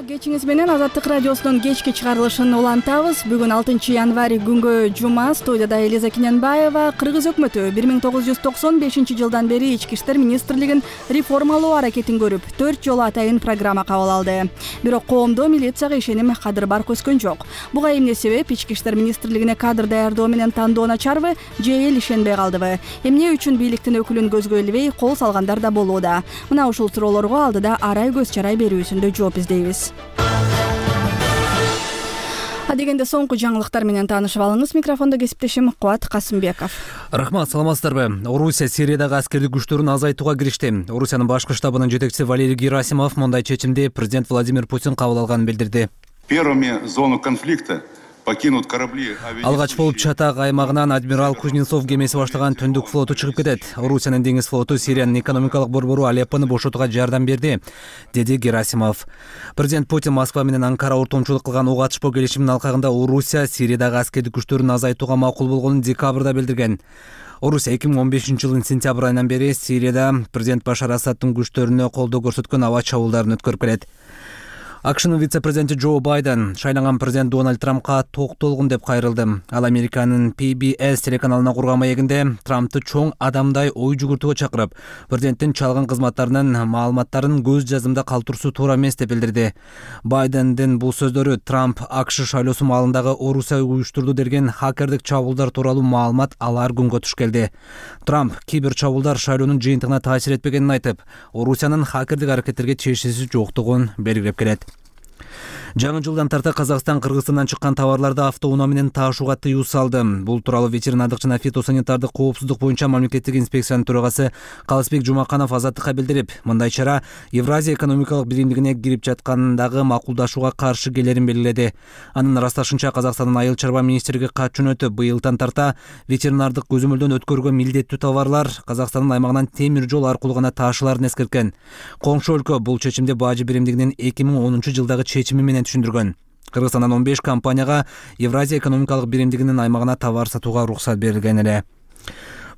Кечиңиз менен Азаттык радиосунун кечки чыгарылышын улантабыз. Бүгүн 6 январь күнгө жума. Студияда Элиза Кененбаева. Кыргыз өкмөтү 1995 жылдан бери Ички иштер министрлигин реформалоо аракетин көрүп, 4 жолу атайын программа кабыл алды. Бирок коомдо милицияга ишеним кадыр барк өскөн жок. Буга эмне себеп? Ички иштер министрлигине кадр даярдоо менен тандоо начарбы же эл ишенбей калдыбы? Эмне үчүн бийликтин өкүлүн көзгө илбей кол салгандар да болууда? Мына ушул суроолорго алдыда арай көз чарай берүүсүндө жооп издейбиз. Дегенде соңку жаңылыктар менен таанышып алыңыз. Микрофондо кесиптешим Кубат Касымбеков. Рахмат, саламатсыздарбы? Орусия Сириядагы аскердик күчтөрүн азайтууга киришти. Орусиянын башкы штабынын жетекчиси Валерий Герасимов мындай чечимди президент Владимир Путин кабыл алганын билдирди. Первыми зону конфликта покинут корабли. Алгач болуп Чатак аймагынан адмирал Кузнецов кемеси баштаган Түндүк флоту чыгып кетет. Орусиянын деңиз флоту Сириянын экономикалык борбору Алеппону бошотууга жардам берди, деди Герасимов. Президент Путин Москва менен Анкара ортомчулук кылган ок атышпоо келишиминин алкагында Орусия Сириядагы аскердик күчтөрүн азайтууга макул болгонун декабрда билдирген. Орусия 2015 жылдын сентябрь айынан бери Сирияда президент Башар Асадтын күчтөрүнө колдоо көрсөткөн аба чабуулдарын өткөрүп келет. АКШнын вице-президенти Джо Байден шайланган президент Дональд Трампка токтолгун деп кайрылды. Ал Американын PBS телеканалына курган маегинде Трампты чоң адамдай ой жүгүртүүгө чакырып, президенттин чалган кызматтарынын маалыматтарын көз жазымда калтыруусу туура эмес деп билдирди. Байдендин бул сөздөрү Трамп АКШ шайлоосу маалындагы Орусия уюштурду деген хакердик чабуулдар тууралуу маалымат алар күнгө туш келди. Трамп кибер чабуулдар шайлоонун жыйынтыгына таасир этпегенин айтып, Орусиянын хакердик аракеттерге чечиси жоктугун белгилеп келет. Жаңы жылдан тарта Казакстан Кыргызстандан чыккан товарларды автоунаа менен таашууга тыюу салды. Бул тууралуу ветеринардык жана фитосанитардык коопсуздук боюнча мамлекеттик инспекциянын төрагасы Калысбек Жумаканов Азаттыкка билдирип, мындай чара Евразия экономикалык биримдигине кирип жаткандагы макулдашууга каршы келерин белгиледи. Анын ырасташынча Казакстандын айыл чарба министрлиги кат жөнөтүп, быйылдан тарта ветеринардык көзөмөлдөн өткөрүүгө милдеттүү товарлар Казакстандын аймагынан темир жол аркылуу гана таашыларын эскерткен. Коңшу өлкө бул чечимди бажы биримдигинин 2010 жылдагы чечими менен түшүндүргөн. Кыргызстандан 15 компанияга Евразия экономикалык биримдигинин аймагына товар сатууга уруксат берилген эле.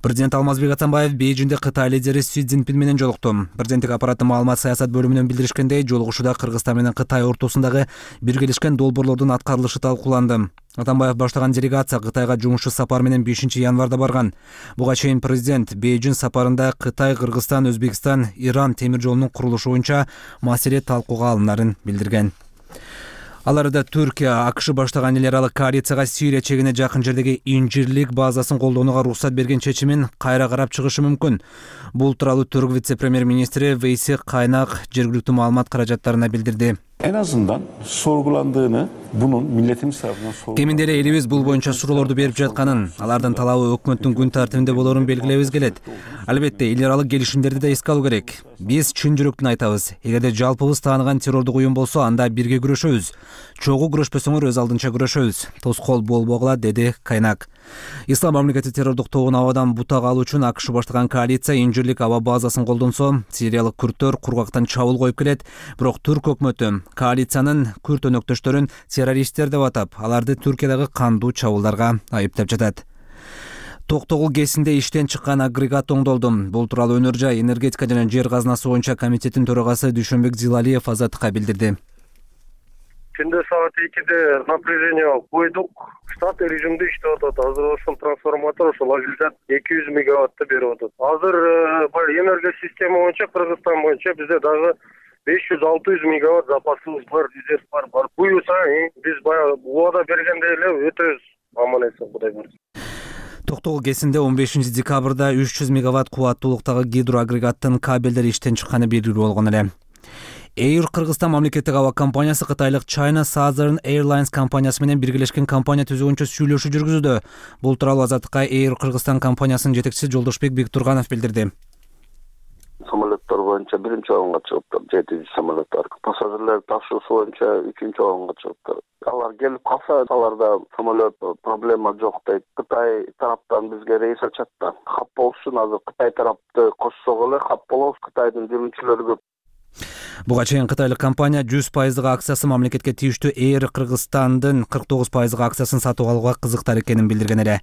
Президент Алмазбек Атамбаев Бейжинде Кытай лидери Си Цзиньпин менен жолукту. Президенттик аппараттын маалымат саясат бөлүмүнөн билдиришкендей, жолугушууда Кыргызстан менен Кытай ортосундагы биргелешкен долбоорлордун аткарылышы талкууланды. Атамбаев баштаган делегация Кытайга жумушчу сапар менен 5 январда барган. Буга чейин президент Бейжин сапарында Кытай, Кыргызстан, Өзбекстан, Иран темир жолунун курулушу боюнча маселе талкууга алынарын билдирген. Ал арада Түркия АКШ баштаган эл аралык коалицияга Сирия чегине жакын жердеги инжирлик базасын колдонууга уруксат берген чечимин кайра карап чыгышы мүмкүн. Бул тууралуу Түрк вице-премьер-министри Вейси Кайнак жергиликтүү маалымат каражаттарына билдирди. En azından sorgulandığını, bunun milletimiz tarafından sorgulandığını... Кеминде эле элибиз бул боюнча суроолорду берип жатканын, алардын талабы өкмөттүн күн тартибинде болорун белгилебиз келет. Албетте, эл аралык келишимдерди да эске алуу керек. Биз чын жүрөктөн айтабыз. Эгерде жалпыбыз тааныган террордук уюм болсо, анда бирге күрөшөбүз. Чогуу күрөшпөсөңөр өз алдынча күрөшөбүз. Тоскоол болбогула, деди Кайнак. Ислам мамлекети террордук тобун абадан бутак алуу үчүн АКШ баштаган коалиция инжирлик аба базасын колдонсо, сириялык күрттөр кургактан чабуул коюп келет. Бирок Түрк өкмөтү коалициянын күрт өнөктөштөрүн террористтер деп атап, аларды Түркиядагы кандуу чабуулдарга айыптап жатат. Токтогул КЭСинде иштен чыккан агрегат оңдолду. Бул тууралуу Өнөр жай, энергетика жана жер казынасы боюнча комитеттин төрагасы Дүйшөнбек Зилалиев Азаттыкка билдирди. Түндө саат 2-де напряжение койдук. Штат режимде иштеп атат. Азыр ошол трансформатор ошол агрегат 200 мегаваттты берип атат. Азыр энергия система боюнча Кыргызстан боюнча бизде дагы 500-600 мегаватт запасыбыз бар, резерв бар. Буюрса, биз баягы убада бергендей эле өтөбүз. Аман эсен, Кудай буйрса. Токтогул КЭСинде 15 декабрда 300 мегаватт кубаттуулуктагы гидроагрегаттын кабелдери иштен чыкканы белгилүү болгон эле. Air Кыргызстан мамлекеттик аба компаниясы кытайлык China Southern Airlines компаниясы менен биргелешкен компания түзүүгөнчө сүйлөшүү жүргүзүүдө. Бул тууралуу Азаттыкка Air Кыргызстан компаниясынын жетекчиси Жолдошбек Бектурганов билдирди. Самолеттер боюнча биринчи орунга чыгыптыр, 7 самолеттер. Пассажирлер ташуусу боюнча 3-чү орунга чыгыптыр. Алар келип калса, аларда самолет проблема жок дейт. Кытай тараптан бизге рейс ачат да. Кап болушун азыр Кытай тарапты кошсок эле кап болобуз. Кытайдын жүргүнчүлөрү көп. Буга чейин кытайлык компания 100% акциясы мамлекетке тийиштүү Air Кыргызстандын 49% акциясын сатып алууга кызыктар экенин билдирген эле.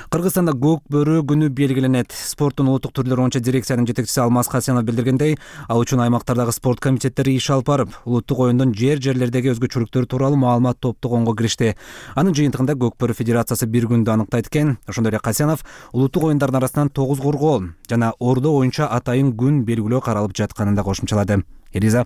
Кыргызстанда көк бөрү күнү белгиленет. Спорттун улуттук түрлөрү боюнча дирекциянын жетекчиси Алмаз Хасенов билдиргендей, ал үчүн аймактардагы спорт комитеттери иш алып барып, улуттук оюндун жерлердеги өзгөчөлүктөрү тууралуу маалымат топтогонго киришти. Анын жыйынтыгында көк бөрү федерациясы бир күндү аныктайт экен. Ошондой эле Хасенов улуттук оюндардын арасынан тогуз коргоо жана ордо боюнча атайын күн белгилөө каралып жатканын да кошумчалады. Элиза.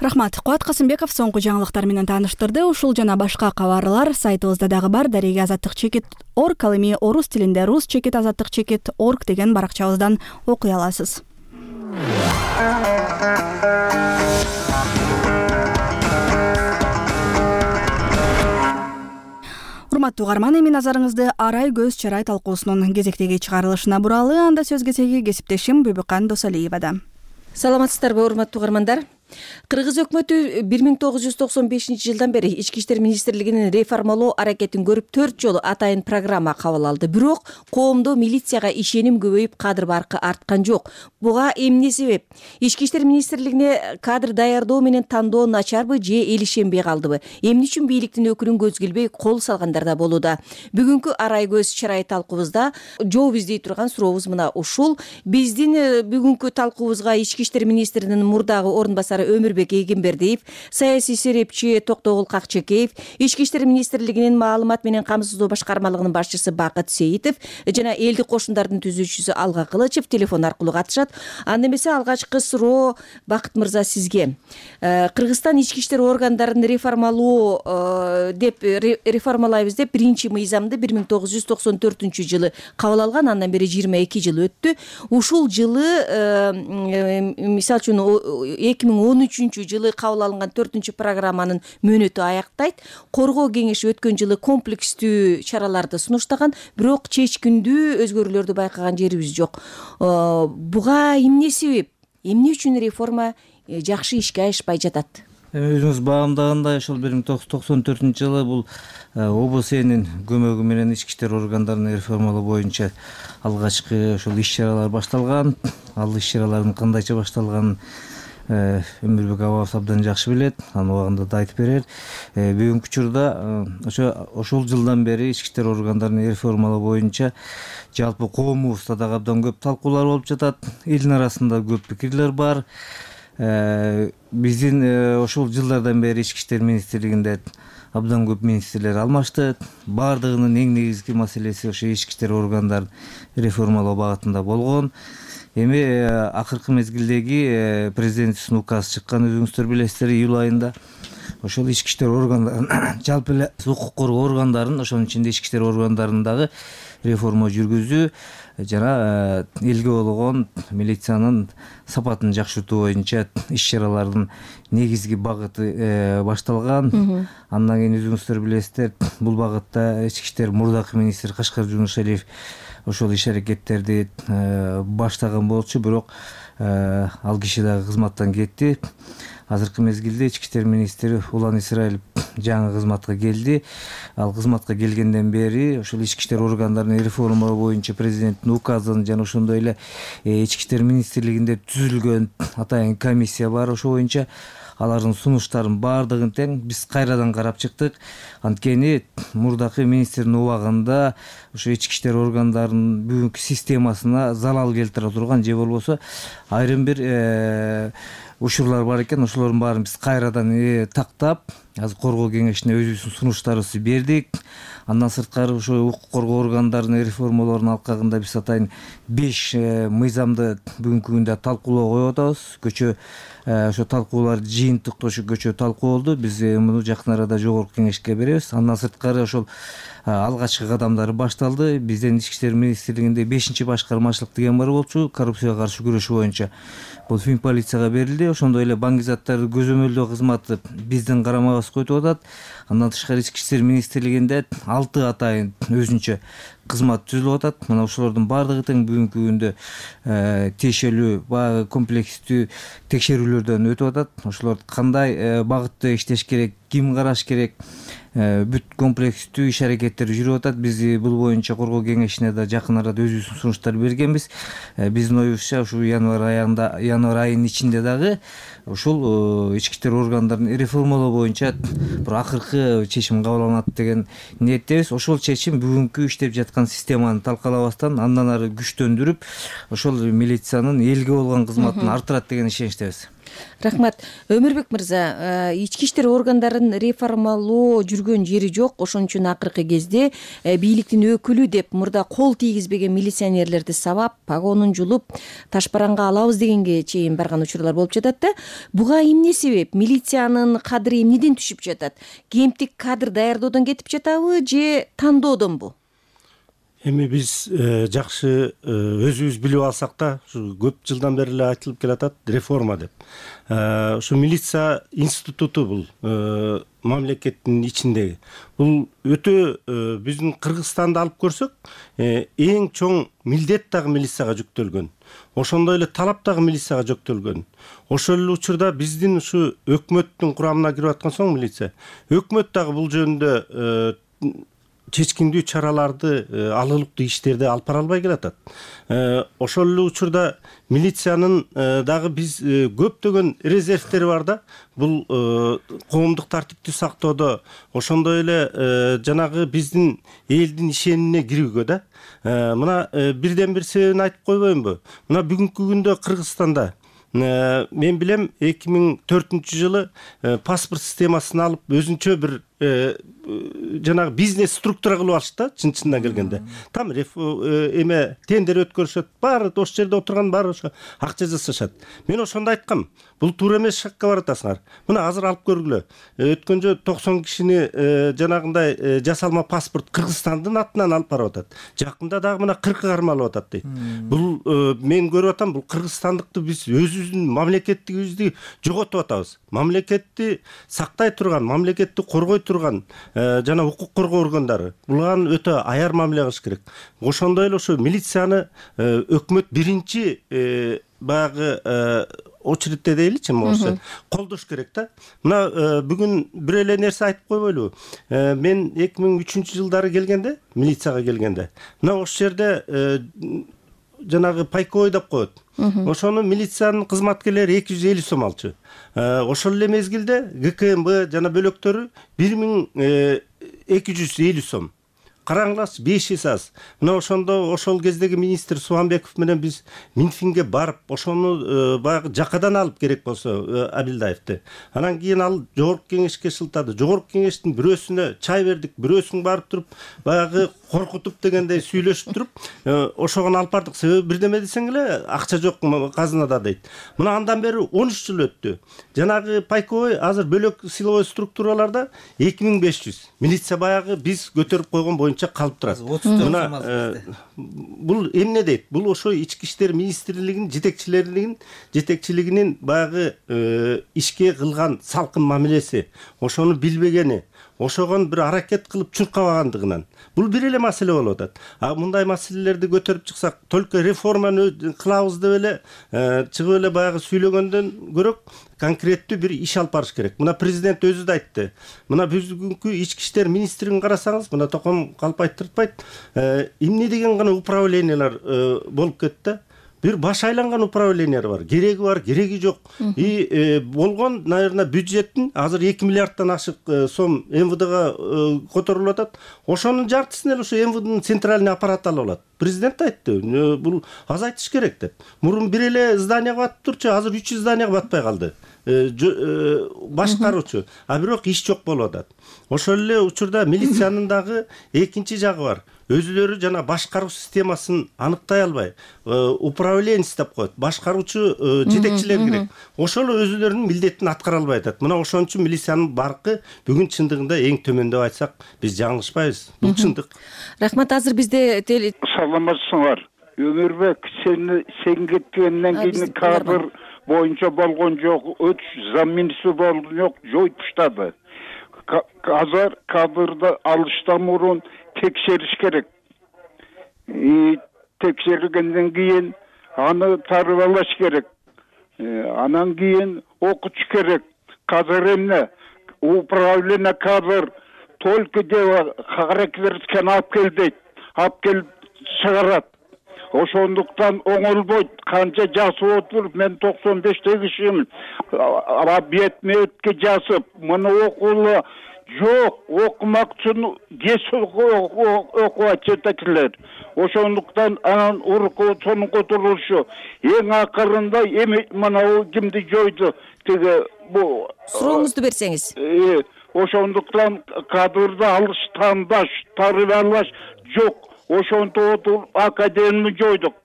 Рахмат. Куат Касымбеков соңку жаңылыктар менен тааныштырды. Ушул жана башка кабарлар сайтыбызда дагы бар. Дареги азаттык чекит орг, ал эми орус тилинде рус чекит азаттык чекит орг деген баракчабыздан окуй аласыз. Урматтуу угарман, эми назарыңызды арай көз чарай талкуусунун кезектеги чыгарылышына буралы. Анда сөз кезеги кесиптешим Бүбүкан Досалиевада. Саламатсыздарбы, урматтуу угармандар? Кыргыз өкмөтү 1995-жылдан бери Ички иштер министрлигинин реформалоо аракетин көрүп 4 жолу атайын программа кабыл алды. Бирок коомдо милицияга ишеним көбөйүп, кадр баркы арткан жок. Буга эмне себеп? Ички иштер министрлигине кадр даярдоо менен тандоо начарбы же эл ишенбей калдыбы? Эмне үчүн бийликтин өкүлүн көз келбей кол салгандар да болууда. Бүгүнкү арай көз чарай талкуубузда жооп издей турган сурообуз мына ушул. Биздин бүгүнкү талкуубузга Ички иштер министринин мурдагы орун басары Өмүрбек Эгембердиев, саясий серепчи Токтогул Какчекеев, Ички иштер министрлигинин маалымат менен камсыздоо башкармалыгынын башчысы Бакыт Сейитов жана элдик кошундардын түзүүчүсү Алга Кылычев телефон аркылуу катышат. Анда эмесе алгачкы суроо Бакыт мырза сизге. Кыргызстан ички иштер органдарын реформалоо деп реформалайбыз деп 1-мыйзамды 1994-жылы кабыл алган, андан бери 22 жыл өттү. Ушул жылы мисалы үчүн 2013-жылы кабыл алынган 4-программанын мөөнөтү аяктайт. Коргоо кеңеши өткөн жылы комплекстүү чараларды сунуштаган, бирок чечкиндүү өзгөрүүлөрдү байкаган жерибиз жок. Буга эмне себеп? Эмне үчүн реформа жакшы ишке ашпай жатат? Өзүңүз багамдагандай ошол 1994-жылы бул ОБСнин көмөгү менен ички иштер органдарын реформалоо боюнча алгачкы ошол иш-чаралар башталган. Ал иш-чаралардын кандайча башталганын Өмүрбек абабыз абдан жакшы билет, анын убагында да айтып берер. Бүгүнкү учурда ошол жылдан бери ички иштер органдарын реформалоо боюнча жалпы коомубузда дагы абдан көп талкуулар болуп жатат. Элдин арасында көп пикирлер бар. Биздин ошол жылдардан бери ички иштер министрлигинде абдан көп министрлер алмашты. Бардыгынын эң негизги маселеси ошо ички иштер органдарын реформалоо багытында болгон. Эми акыркы мезгилдеги президенттин указы чыккан, өзүңүздөр билесиздер, июль айында. Ошол ички иштер органдарын, жалпы эле укук коргоо органдарын, ошонун ичинде ички иштер органдарындагы реформа жүргүзүү жана элге болгон милициянын сапатын жакшыртуу боюнча иш-чаралардын негизги багыты башталган. Андан кийин өзүңүздөр билесиздер, бул багытта ички иштер мурдакы министр Кашкар Жунушалиев ошол иш-аракеттерди баштаган болчу, бирок ал киши дагы кызматтан кетти. Азыркы мезгилде ички иштер министри Улан Исраилов жаңы кызматка келди. Ал кызматка келгенден бери ошол ички иштер органдарын реформалоо боюнча президенттин указын жана ошондой эле ички иштер министрлигинде түзүлгөн атайын комиссия бар. Ошо боюнча алардын сунуштарын баардыгын тең биз кайрадан карап чыктык. Анткени мурдакы министрдин убагында ошо ички иштер органдарынын бүгүнкү системасына залал келтире турган же болбосо айрым бир учурлар бар экен. Ошолордун баарын биз кайрадан тактап, азыр коргоо кеңешине өзүбүздүн сунуштарыбызды бердик. Андан сырткары ошо укук коргоо органдарынын реформалоорунун алкагында биз атайын 5 мыйзамды бүгүнкү күндө талкуулоого коюп атабыз. Көчө ошо талкуулар жыйынтык көчө талкуу болду. Биз муну жакын арада жогорку кеңешке беребиз. Андан сырткары ошол алгачкы кадамдары башталды. Биздин Ички иштер министрлигинде 5-башкармачылык деген бар болчу, коррупцияга каршы күрөшүү боюнча. Бул Финполицияга берилди. Ошондой эле баңгизаттар көзөмөлдөө кызматы биздин карамабызга өтүп атат. Андан тышкары Ички иштер министрлигинде 6 атайын өзүнчө кызмат түзүлүп атат. Мына ошолордун баардыгы тең бүгүнкү күндө тиешелүү баягы комплекстүү текшерүүлөрдөн өтүп атат. Ошолор кандай багытта иштеш керек, ким караш керек, бүт комплекстүү иш аракеттер жүрүп атат. Биз бул боюнча коргоо кеңешине да жакын арада өзүбүздүн сунуштар бергенбиз. Биздин оюбузча ушул январь айынын ичинде дагы ушул ички иштер органдарын реформалоо боюнча бир акыркы чечим кабыл алынат деген ниеттебиз. Ошол чечим бүгүнкү иштеп жаткан системаны талкалабастан андан ары күчтөндүрүп, ошол милициянын элге болгон кызматын арттырат деген ишеничтебиз. Рахмат. Өмүрбек мырза, ички иштер органдарын реформалоо жүргөн жери жок. Ошон үчүн акыркы кезде бийликтин өкүлү деп мурда кол тийгизбеген милиционерлерди сабап, погонун жулуп, ташбаранга алабыз дегенге чейин барган учурлар болуп жатат да. Буга эмне себеп? Милициянын кадыры эмнеден түшүп жатат? Кемтик кадр даярдоодон кетип жатабы же тандоодонбу? Эми биз жакшы өзүбүз билип алсак да, ушу көп жылдан бери эле айтылып келатат реформа деп. Ушу милиция институту бул мамлекеттин ичиндеги. Бул өтө биздин Кыргызстанды алып көрсөк, эң чоң милдет дагы милицияга жүктөлгөн. Ошондой эле талап дагы милицияга жүктөлгөн. Ошол эле учурда биздин ушу өкмөттүн курамына кирип аткан соң милиция, өкмөт дагы бул жөнүндө чечкиндүү чараларды, алылыктуу иштерди алып бара албай келатат. Ошол эле учурда милициянын дагы биз көптөгөн резервтери бар да. Бул коомдук тартипти сактоодо, ошондой эле жанагы биздин элдин ишенимине кирүүгө да. Мына бирден бир себебин айтып койбоймунбу? Мына бүгүнкү күндө Кыргызстанда мен билем 2004-жылы паспорт системасын алып өзүнчө бир жанагы бизнес структура кылып алышты да, чын-чындан келгенде. Там эме тендер өткөрүшөт, баары ошол жерде отурган баары ошо акча жасашат. Мен ошондо айткам, бул туура эмес шакка баратасыңар. Мына азыр алып көргүлө. Өткөн жолу 90 кишини жанагындай жасалма паспорт Кыргызстандын атынан алып барып атат. Жакында дагы мына 40 кармалып атат дейт. Бул мен көрүп атам, бул кыргызстандыкты биз өзүбүздүн мамлекеттигибизди жоготуп атабыз. Мамлекетти сактай турган, мамлекетти коргой турган жана укук коргоо органдары буларга өтө аяр мамиле кылыш керек. Ошондой эле ошо милицияны өкмөт биринчи баягы очередте дейличи, болсо колдош керек да. Мына бүгүн бир эле нерсе айтып койбойлубу? Мен 2003-жылдары келгенде, милицияга келгенде, мына ошол жерде жанагы пайковой деп коет. Ошону милициянын кызматкерлери 250 сом алчу. Ошол эле мезгилде ГКМБ жана бөлөктөрү 1250 сом. Караңларчы, 5 эсе аз. Мына ошондо ошол кездеги министр Субанбеков менен биз Минфинге барып, ошону баягы жакадан алып керек болсо Абилдаевди. Анан кийин ал жогорку кеңешке шылтады. Жогорку кеңештин бирөөсүнө чай бердик, бирөөсүн барып туруп, баягы коркутуп дегендей сүйлөшүп туруп, ошогон алып бардык. Себеби бирдеме десең эле акча жок казынада дейт. Мына андан бери 13 жыл өттү. Жанагы пайковой азыр бөлөк силовой структураларда 2500. Милиция баягы биз көтөрүп койгон боюнча калып турат. Мына бул эмне дейт? Бул ошо ички иштер министрлигинин жетекчилигинин баягы ишке кылган салкын мамилеси, ошону билбегени, ошогон бир аракет кылып чуркабагандыгынан. Бул бир эле маселе болуп атат. Мындай маселелерди көтөрүп чыксак, только реформаны кылабыз деп эле чыгып эле баягы сүйлөгөндөн көрөк конкреттүү бир иш алып барыш керек. Мына президент өзү да айтты. Мына бүгүнкү ички иштер министрлигин карасаңыз, мына Током калп айттыртпайт, эмне деген гана управлениялар болуп кетти. Бир баш айланган управлениялар бар. Кереги жок. И болгон, наверное, бюджеттин азыр 2 миллиарддан ашык сом МВДга которулуп атат. Ошонун жартысын эле ошо МВДнын центральный аппараты алып алат. Президент айтты, бул азайтыш керек деп. Мурун бир эле зданияга батып турчу, азыр 3 зданияга батпай калды. Башкаруучу, а бирок иш жок болуп атат. Ошол эле учурда милициянын дагы экинчи жагы бар. өзүлөрү жана башкаруу системасын аныктай албай, управленец деп коет, башкаруучу жетекчилер керек. Ошол өзүлөрүнүн милдетин аткара албай атат. Мына ошон үчүн милициянын баркы бүгүн чындыгында эң төмөн деп айтсак, биз жаңылышпайбыз. Бул чындык. Рахмат. Азыр бизде саламатсыңар. Өмүрбек, сен кеткенден кийин кадр боюнча болгон жок, замминистри болгон жок, жоюп таштады. Азыр кадрды алыштан мурун текшериш керек. Текшергенден кийин аны тарбалаш керек. Анан кийин окутуш керек. Кадр эмне? Управление кадр только дело характерин алып кел дейт. Алып келип чыгарат. Ошондуктан оңолбойт. Канча жасып отуруп, мен 95 кишимин. Бет мөткө жасып, муну окуулу жок, окумак үчүн кес окуп жетекчилер. Ошондуктан анан урку сонун которулушу. Эң акырында эми мына кимди жойду? Тиги бу сурооңузду берсеңиз. Ошондуктан кадрды алыш, тандаш, тарбиялаш жок. Ошонто академияны жойдук.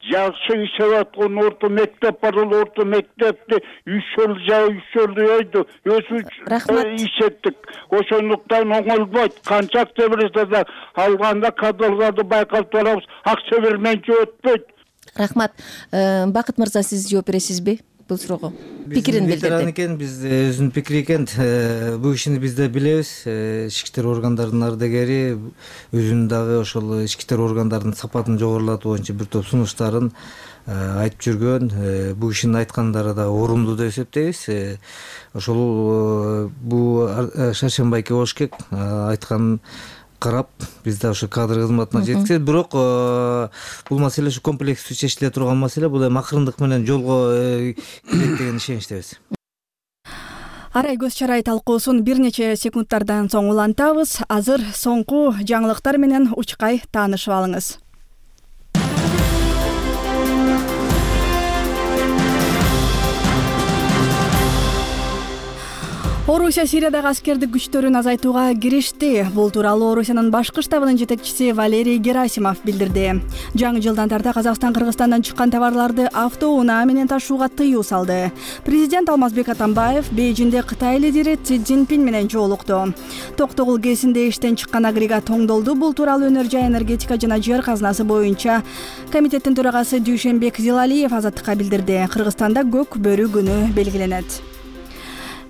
Жакшы иштеп аткан орто мектеп бар, орто мектепти 3 жыл жойду. Өзү иштеттик. Ошондуктан оңолбойт. Канча акча берсе да алганда кадрларды байкап турабыз. Акча берменче өтпөйт. Рахмат. Бакыт мырза, сиз жооп бересизби бул суроого? Пикирин билдирди. Экен, биз өзүнүн пикири экен. Бул кишини биз да билебиз. Ички иштер органдарынын ардагери, өзүнүн дагы ошол ички иштер органдарынын сапатын жогорулатуу боюнча бир топ сунуштарын айтып жүргөн. Бул кишинин айткандары да орундуу деп эсептейбиз. Ошол бул Шаршембай Кебошкек айткан карап, биз да ошо кадр кызматына жеткизет. Бирок бул маселе ушу комплекстүү чечиле турган маселе. Бул эми акырындык менен жолго кирет деген ишеничтебиз. Арай көз чарай талкуусун бир нече секундтардан соң улантабыз. Азыр соңку жаңылыктар менен учкай таанышып алыңыз. Орусия Сириядагы аскердик күчтөрүн азайтууга киришти. Бул тууралуу Орусиянын башкы штабынын жетекчиси Валерий Герасимов билдирди. Жаңы жылдан тарта Казакстан Кыргызстандан чыккан товарларды автоунаа менен ташууга тыюу салды. Президент Алмазбек Атамбаев Бейжиңде Кытай лидери Си Цзиньпин менен жолукту. Токтогул КЭСинде иштен чыккан агрегат оңдолду. Бул тууралуу Өнөр-жай энергетика жана жер казынасы боюнча комитеттин төрагасы Дүйшөнбек Зилалиев Азаттыкка билдирди. Кыргызстанда көк бөрү күнү белгиленет.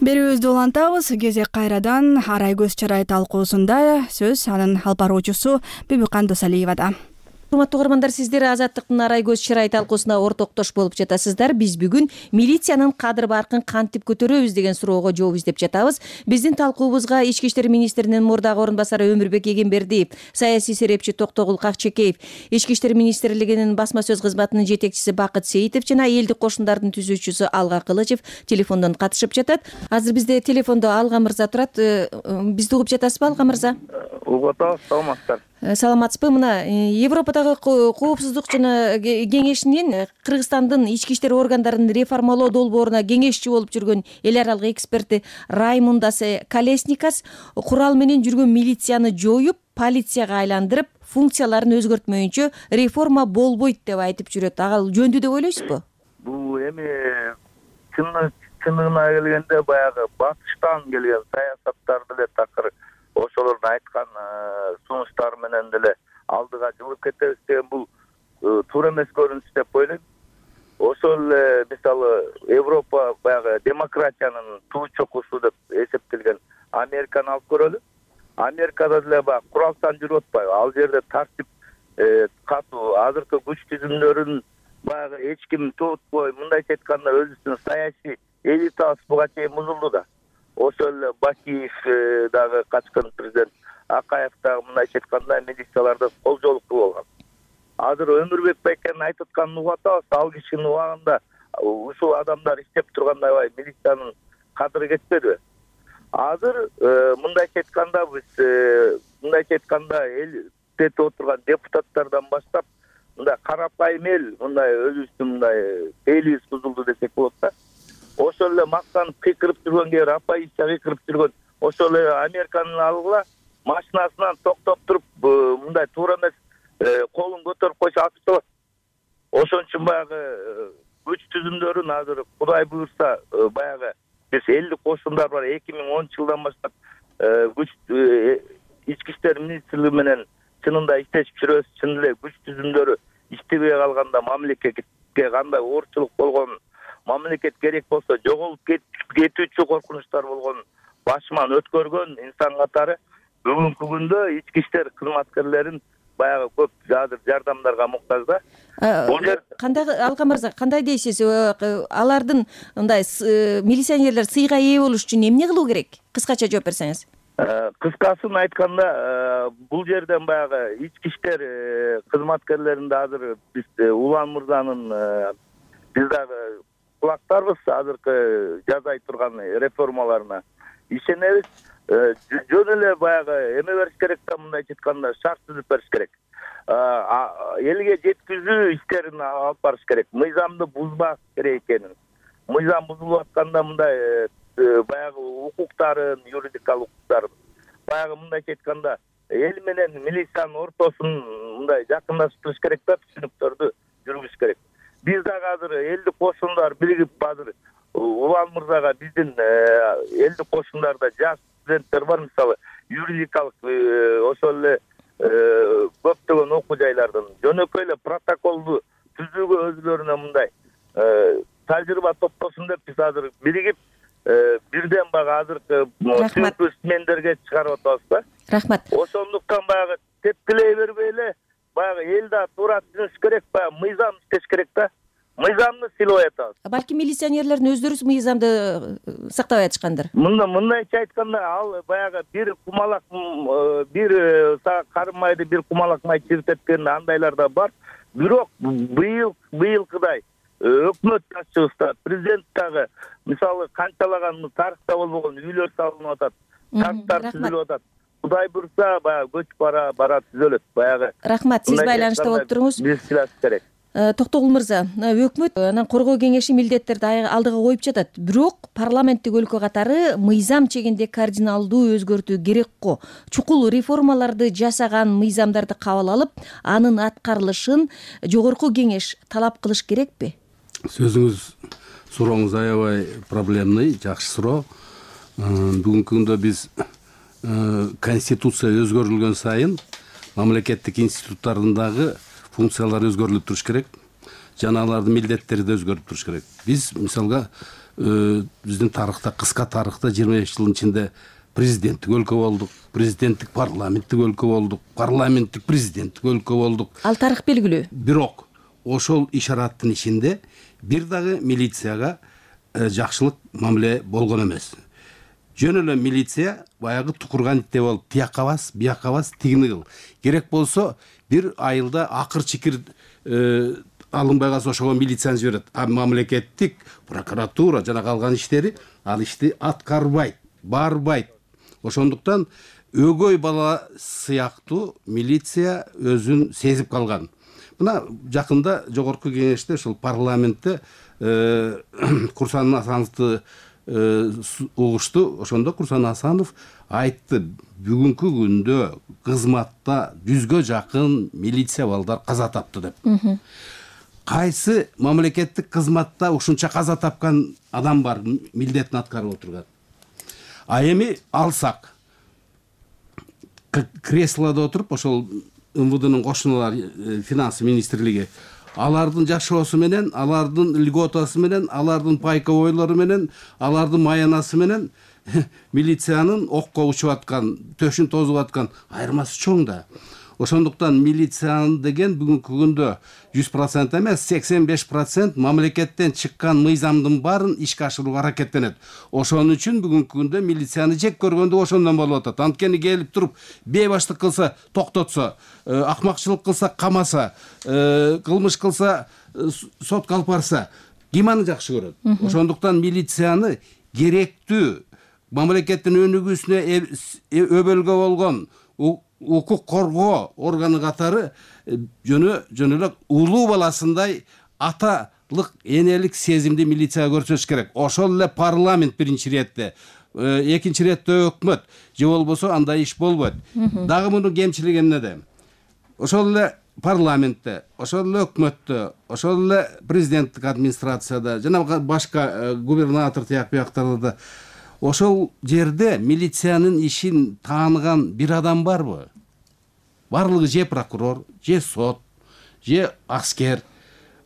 Берүүбүздү улантабыз. Кезек кайрадан Арай көз чарай талкуусунда сөз анын алып баруучусу Бүбүкан Досалиевада. Урматтуу угармандар, сиздер Азаттыктын Арай көз чарай талкуусуна ортоктош болуп жатасыздар. Биз бүгүн милициянын кадр баркын кантип көтөрөбүз деген суроого жооп издеп жатабыз. Биздин талкуубузга Ички иштер министринин мурдагы орун басары Өмүрбек Эгембердиев, саясий серепчи Токтогул Какчекеев, Ички иштер министрлигинин басма сөз кызматынын жетекчиси Бакыт Сейитов жана элдик кошундардын түзүүчүсү Алга Кылычев телефондон катышып жатат. Азыр бизде телефондо Алга мырза турат. Бизди угуп жатасызбы, Алга мырза? Угуп атабыз, саламатсыздар. Саламатсызбы? Мына Европадагы коопсуздук жана кеңешинин Кыргызстандын ички иштер органдарын реформалоо долбооруна кеңешчи болуп жүргөн эл аралык эксперти Раймундас Колесникас курал менен жүргөн милицияны жоюп, полицияга айландырып, функцияларын өзгөртмөйүнчө реформа болбойт деп айтып жүрөт. Ага жөндүү деп ойлойсузбу? Бул эми чындыгына келгенде баягы батыштан келген саясаттар деле такыр ошолордун айткан сунуштары менен деле алдыга жылып кетебиз деген бул туура эмес көрүнүш деп ойлойм. Ошол эле мисалы Европа баягы демократиянын туу чокусу деп эсептелген Американы алып көрөлү. Америкада деле баягы куралдан жүрүп атпайбы? Ал жерде тартип катуу, азыркы күч түзүмдөрүн баягы эч ким тутпой, мындайча айтканда өзүнүн саясий элитасы буга чейин бузулду да. Ошол эле Бакиев дагы качкан президент Акаев дагы мындайча айтканда милицияларды колжолук кылып алган. Азыр Өмүрбек байкенин айтып атканын угуп атабыз. Ал кишинин убагында ушул адамдар иштеп турганда милициянын кадыры кетпедиби? Азыр мындайча айтканда биз мындайча айтканда элде отурган депутаттардан баштап мындай карапайым эл мындай өзүбүздүн мындай элибиз бузулду десек болот да. Ошол эле мактанып кыйкырып жүргөн, апайча кыйкырып жүргөн ошол эле Американы алгыла, машинасынан токтоп туруп мындай туура эмес колун көтөрүп койсо атып салат. Ошон үчүн баягы күч түзүмдөрүн азыр Кудай буйрса баягы биз элдик кошундар бар. 2010 жылдан баштап ички иштер министрлиги менен чынында иштешип жүрөбүз. Чын эле күч түзүмдөрү иштебей калганда мамлекетке кандай оорчулук болгонун, мамлекет керек болсо жоголуп кетүүчү коркунучтар болгонун башыман өткөргөн инсан катары бүгүнкү күндө ички иштер кызматкерлерин баягы көп азыр жардамдарга муктаж да. Кандай Алкан мырза, кандай дейсиз? Алардын мындай милиционерлер сыйга ээ болуш үчүн эмне кылуу керек? Кыскача жооп берсеңиз. Кыскасын айтканда, бул жерден баягы ички иштер кызматкерлеринде азыр биз Улан мырзанын биз дагы кулактарбыз азыркы жасай турган реформаларына ишенебиз. Жөн эле баягы эме бериш керек да, мындайча айтканда шарт түзүп бериш керек. Элге жеткизүү иштерин алып барыш керек. Мыйзамды бузбаш керек экенин. Мыйзам бузулуп атканда мындай баягы укуктарын, юридикалык укуктарын баягы мындайча айтканда эл менен милициянын ортосун мындай жакындаштырыш керек да, түшүнүктөрдү жүргүзүш керек. Биз дагы азыр элдик кошундар биригип азыр Улан мырзага биздин элдик кошундарда жаш студенттер бар, мисалы юридикалык ошол эле көптөгөн окуу жайлардан жөнөкөй эле протоколду түзүүгө өзүлөрүнө мындай тажрыйба топтосун деп биз азыр биригип бирден баягы азыркы сүйүктүү исмендерге чыгарып атабыз да. Рахмат. Ошондуктан баягы тепкилей бербей эле баягы эл да туура түшүнүш керек, баягы мыйзам иштеш керек да. Мыйзамды сыйлап атабыз. Балки милиционерлердин өздөрү мыйзамды сактабай атышкандыр. Мындайча айтканда, ал баягы бир кумалак бир карымайды бир кумалак май чиртеткенде андайлар да бар. Бирок быйылкыдай өкмөт башчыбызда, президент дагы мисалы канчалаган тарыхта болбогон үйлөр салынып атат, парктар түзүлүп атат. Кудай буйрса баягы көчүп бара түзөлөт баягы. Рахмат, сиз байланышта болуп туруңуз. Биз силас керек. Токтогул мырза, өкмөт анан коргоо кеңеши милдеттерди алдыга коюп жатат. Бирок парламенттик өлкө катары мыйзам чегинде кардиналдуу өзгөртүү керек го. Чукул реформаларды жасаган мыйзамдарды кабыл алып, анын аткарылышын жогорку кеңеш талап кылыш керекпи? Сурооңуз аябай проблемный, жакшы суроо. Бүгүнкү күндө биз конституция өзгөрүлгөн сайын мамлекеттик институттардагы функциялар өзгөрүлүп туруш керек. Жана алардын милдеттери да өзгөрүп туруш керек. Биз мисалга биздин тарыхта, кыска тарыхта 25 жылдын ичинде президенттик өлкө болдук, президенттик парламенттик өлкө болдук, парламенттик президенттик өлкө болдук. Ал тарых белгилүү. Бирок ошол ишараттын ичинде бир дагы милицияга жакшылык мамиле болгон эмес. Жөн эле милиция баягы тукурган итте болуп, тияка бас, бияка бас, тигини кыл. Керек болсо бир айылда акыр-чикир алынбай калса ошого милицияны жиберет. А мамлекеттик прокуратура жана калган иштери ал ишти аткарбайт, барбайт. Ошондуктан өгөй бала сыяктуу милиция өзүн сезип калган. Мына жакында жогорку кеңеште ушул парламентте Курсан Асановду угушту. Ошондо Курсан Асанов айтты, бүгүнкү күндө кызматта 100гө жакын милиция балдар каза тапты деп. Кайсы мамлекеттик кызматта ушунча каза тапкан адам бар, милдетин аткарып отурган? А эми алсак креслодо отуруп ошол МВДнын кошуналары, финанс министрлиги, алардын жашоосу менен, алардын льготасы менен, алардын пайковойлору менен, алардын маянасы менен милициянын окко учуп аткан, төшүн тозуп аткан айырмасы чоң да. Ошондуктан милициянын деген бүгүнкү күндө 100% эмес, 85% мамлекеттен чыккан мыйзамдын баарын ишке ашырууга аракеттенет. Ошон үчүн бүгүнкү күндө милицияны жек көргөндө ошондон болуп атат. Анткени келип туруп бейбаштык кылса токтотсо, акмакчылык кылса камаса, кылмыш кылса сотко алып барса, ким аны жакшы көрөт? Ошондуктан милицияны керектүү мамлекеттин өнүгүүсүнө өбөлгө болгон укук коргоо органы катары жөн эле улуу баласындай аталык энелик сезимди милицияга көрсөтүш керек. Ошол эле парламент биринчи иретте экинчи иретте өкмөт же болбосо андай иш болбойт. Дагы мунун кемчилиги эмнеде? Ошол эле парламентте, ошол эле өкмөттө, ошол эле президенттик администрацияда жана башка губернатор бияктарда ошол жерде милициянын ишин тааныган бир адам барбы? Барлыгы же прокурор, же сот, же аскер.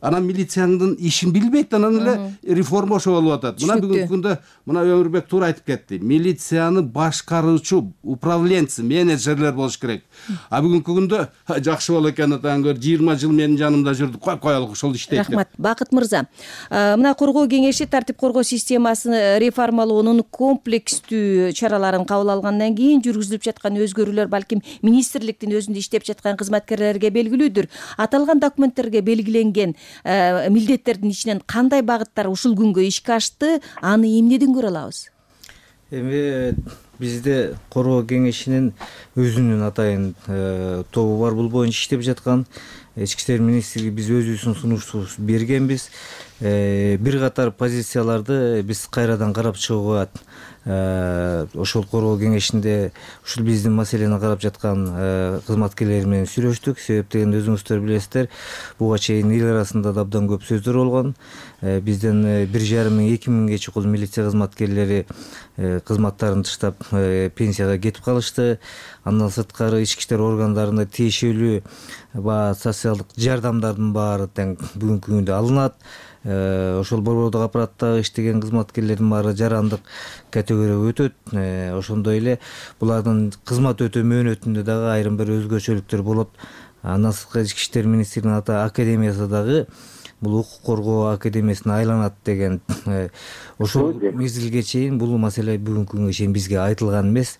Анан милициянын ишин билбейт, анан эле реформа ошо болуп атат. Мына бүгүнкү күндө мына Өмүрбек туура айтып кетти. Милицияны башкаруучу, управленцы, менеджерлер болуш керек. А бүгүнкү күндө жакшы болот экен атаң көр 20 жыл менин жанымда жүрдү. Коелук ошол иштейт. Рахмат. Бакыт мырза. Мына коргоо кеңеши тартип коргоо системасын реформалоонун комплекстүү чараларын кабыл алгандан кийин жүргүзүлүп жаткан өзгөрүүлөр балким министрликтин өзүндө иштеп жаткан кызматкерлерге белгилүүдүр. Аталган документтерге белгиленген милдеттердин ичинен кандай багыттар ушул күнгө ишке ашты, аны эмнеден көрө алабыз? Эми бизде коргоо кеңешинин өзүнүн атайын тобу бар, бул боюнча иштеп жаткан. Ички иштер министрлиги биз өзүбүздүн сунуштубузду бергенбиз. Бир катар позицияларды биз кайрадан карап чыгууга ошол коргоо кеңешинде ушул биздин маселени карап жаткан кызматкерлер менен сүйлөштүк. Себеп дегенде өзүңүздөр билесиздер, буга чейин эл арасында да абдан көп сөздөр болгон. Бизден 1,5–2 миңге чукул милиция кызматкерлери кызматтарын таштап пенсияга кетип калышты. Андан сырткары ички иштер органдарында тиешелүү социалдык жардамдардын баары тең бүгүнкү күндө алынат. Ошол борбордук аппараттагы иштеген кызматкерлердин баары жарандык категорияга өтөт. Ошондой эле булардын кызмат өтөө мөөнөтүндө дагы айрым бир өзгөчөлүктөр болот. Андан сырткары ички иштер министрлигинин ата академиясы дагы бул укук коргоо академиясына айланат деген ошол мезгилге чейин бул маселе бүгүнкү күнгө чейин бизге айтылган эмес.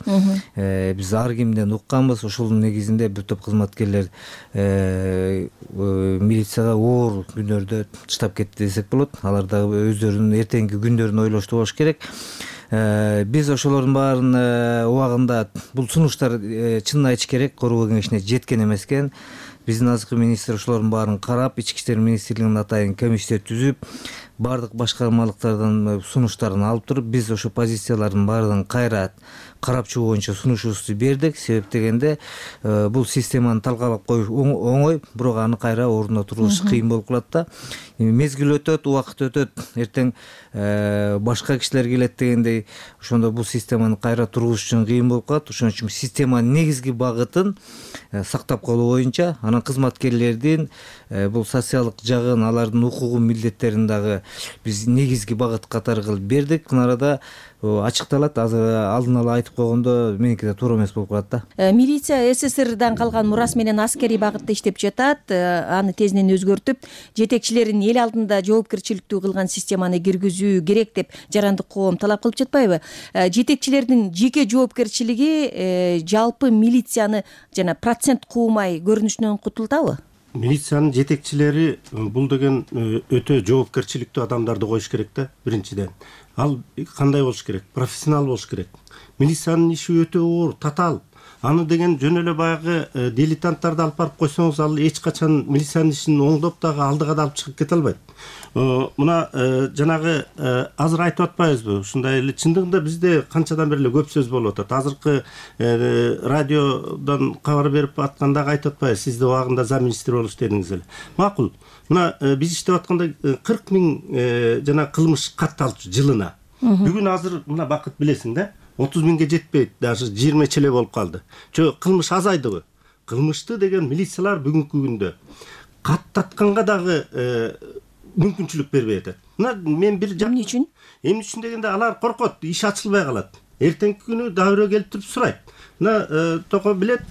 Биз ар кимден укканбыз. Ошонун негизинде бир топ кызматкерлер милицияга оор күнөрдө таштап кетти десек болот. Алар дагы өздөрүнүн эртеңки күндөрүн ойлошту болуш керек. Биз ошолордун баарын убагында бул сунуштар чынын айтыш керек коргоо кеңешине жеткен эмес экен. Биздин азыркы министр ошолордун баарын карап, ички иштер министрлигинин атайын комиссия түзүп, бардык башкармалыктардан сунуштарын алып туруп, биз ошо позициялардын баарын кайра карап чыгуу боюнча сунушубузду бердик. Себеп дегенде бул системаны талкалап коюш оңой, бирок аны кайра ордуна тургузуш кыйын болуп калат да. Мезгил өтөт, убакыт өтөт, эртең башка кишилер келет дегендей, ошондо бул системаны кайра тургузуш үчүн кыйын болуп калат. Ошон үчүн системанын негизги багытын сактап калуу боюнча, анан кызматкерлердин бул социалдык жагын, алардын укугун, милдеттерин дагы биз негизги багыт катары кылып бердик. Мына арада ачыкталат. Азыр алдын ала айтып койгондо меники да туура эмес болуп калат да. Милиция СССРдан калган мурас менен аскерий багытта иштеп жатат. Аны тезинен өзгөртүп, жетекчилерин эл алдында жоопкерчиликтүү кылган системаны киргизүү керек деп жарандык коом талап кылып жатпайбы? Жетекчилердин жеке жоопкерчилиги жалпы милицияны жана процент куумай көрүнүшүнөн кутултабы? Милициянын жетекчилери бул деген өтө жоопкерчиликтүү адамдарды коюш керек да, биринчиден. Ал кандай болуш керек? Профессионал болуш керек. Милициянын иши өтө оор, татаал. Аны деген жөн эле баягы дилетанттарды алып барып койсоңуз, ал эч качан милициянын ишин оңдоп дагы алдыга да алып чыгып кете албайт. Мына жанагы азыр айтып атпайбызбы? Ушундай эле чындыгында бизде канчадан бери эле көп сөз болуп атат. Азыркы радиодон кабар берип атканда айтып атпайбыз, сиз да убагында замминистр болуш дедиңиз эле. Макул. Мына биз иштеп атканда 40 миң жана кылмыш катталчу жылына. Бүгүн азыр мына Бакыт билесиң да, 30 миңге жетпейт, даже 20 эле болуп калды. Кылмыш азайдыбы? Кылмышты деген милициялар бүгүнкү күндө каттатканга дагы мүмкүнчүлүк бербей атат. Мына мен бир эмне үчүн? Эмне үчүн дегенде алар коркот, иш ачылбай калат. Эртеңки күнү дагы бирөө келип туруп сурайт. Мына Токо билет,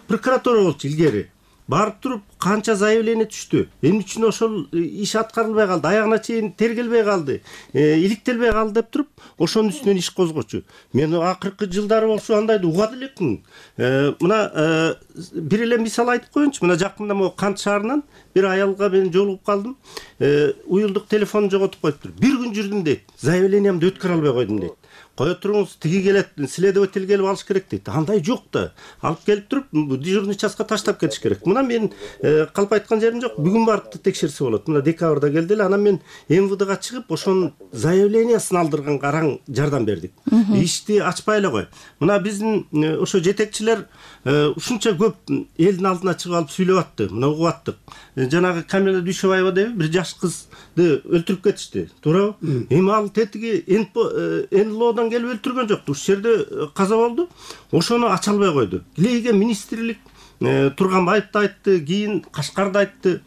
прокуратура болчу илгери. Барып туруп канча заявление түштү. Эмне үчүн ошол иш аткарылбай калды, аягына чейин тергелбей калды, иликтелбей калды деп туруп, ошонун үстүнөн иш козгочу. Мен акыркы жылдары болсо андайды угат элекмин. Мына бир эле мисал айтып коеюнчу. Мына жакында могу Кант шаарынан бир аялга мен жолугуп калдым. Уюлдук телефонун жоготуп коюптур. Бир күн жүрдүм дейт. Заявлениямды өткөрө албай койдум дейт. кое туруңуз, тиги келет, следователь келип алыш керек дейт. Андай жок да. Алып келип туруп, дежурный частка таштап кетиш керек. Мына мен калп айткан жерим жок. Бүгүн барып текшерсе болот. Мына декабрда келди эле, анан мен МВДга чыгып, ошонун заявлениясын алдырганга араң жардам бердик. Ишти ачпай эле кой. Мына биздин ошо жетекчилер ушунча көп элдин алдына чыгып алып сүйлөп атты. Мына угуп аттык. Жанагы Камила Дүйшөбаева деп бир жаш кызды өлтүрүп кетишти. Туурабы? Эми ал тетиги НЛОдон келип өлтүргөн жок. Ушул жерде каза болду. Ошону ача албай койду. Илейге министрлик Турганбаевди айтты, кийин Кашкарды айтты.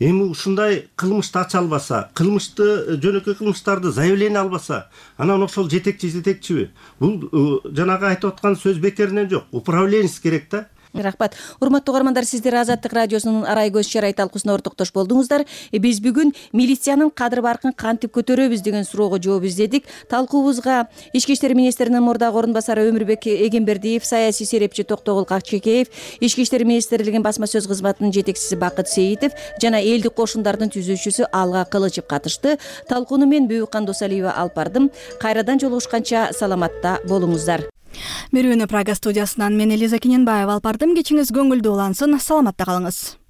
Эми ушундай кылмышты ача албаса, кылмышты жөнөкөй кылмыштарды заявление албаса, анан ошол жетекчиби? Бул жанагы айтып аткан сөз бекеринен жок. Управленец керек да. Рахмат. Урматтуу угармандар, сиздер Азаттык радиосунун Арай көз чарай талкуусуна ортоктош болдуңуздар. Биз бүгүн милициянын кадыр баркын кантип көтөрөбүз деген суроого жооп издедик. Талкуубузга Ички иштер министринин мурдагы орун басары Өмүрбек Эгембердиев, саясий серепчи Токтогул Какчекеев, Ички иштер министрлигинин басма сөз кызматынын жетекчиси Бакыт Сейитов жана элдик кошундардын түзүүчүсү Алга Кылычев катышты. Талкууну мен Бүйүккан Досалиева алып бардым. Кайрадан жолугушканча саламатта болуңуздар. Берүүнү Прага студиясынан мен Элиза Кененбаева алып бардым. Кечиңиз көңүлдүү улансын. Саламатта калыңыз.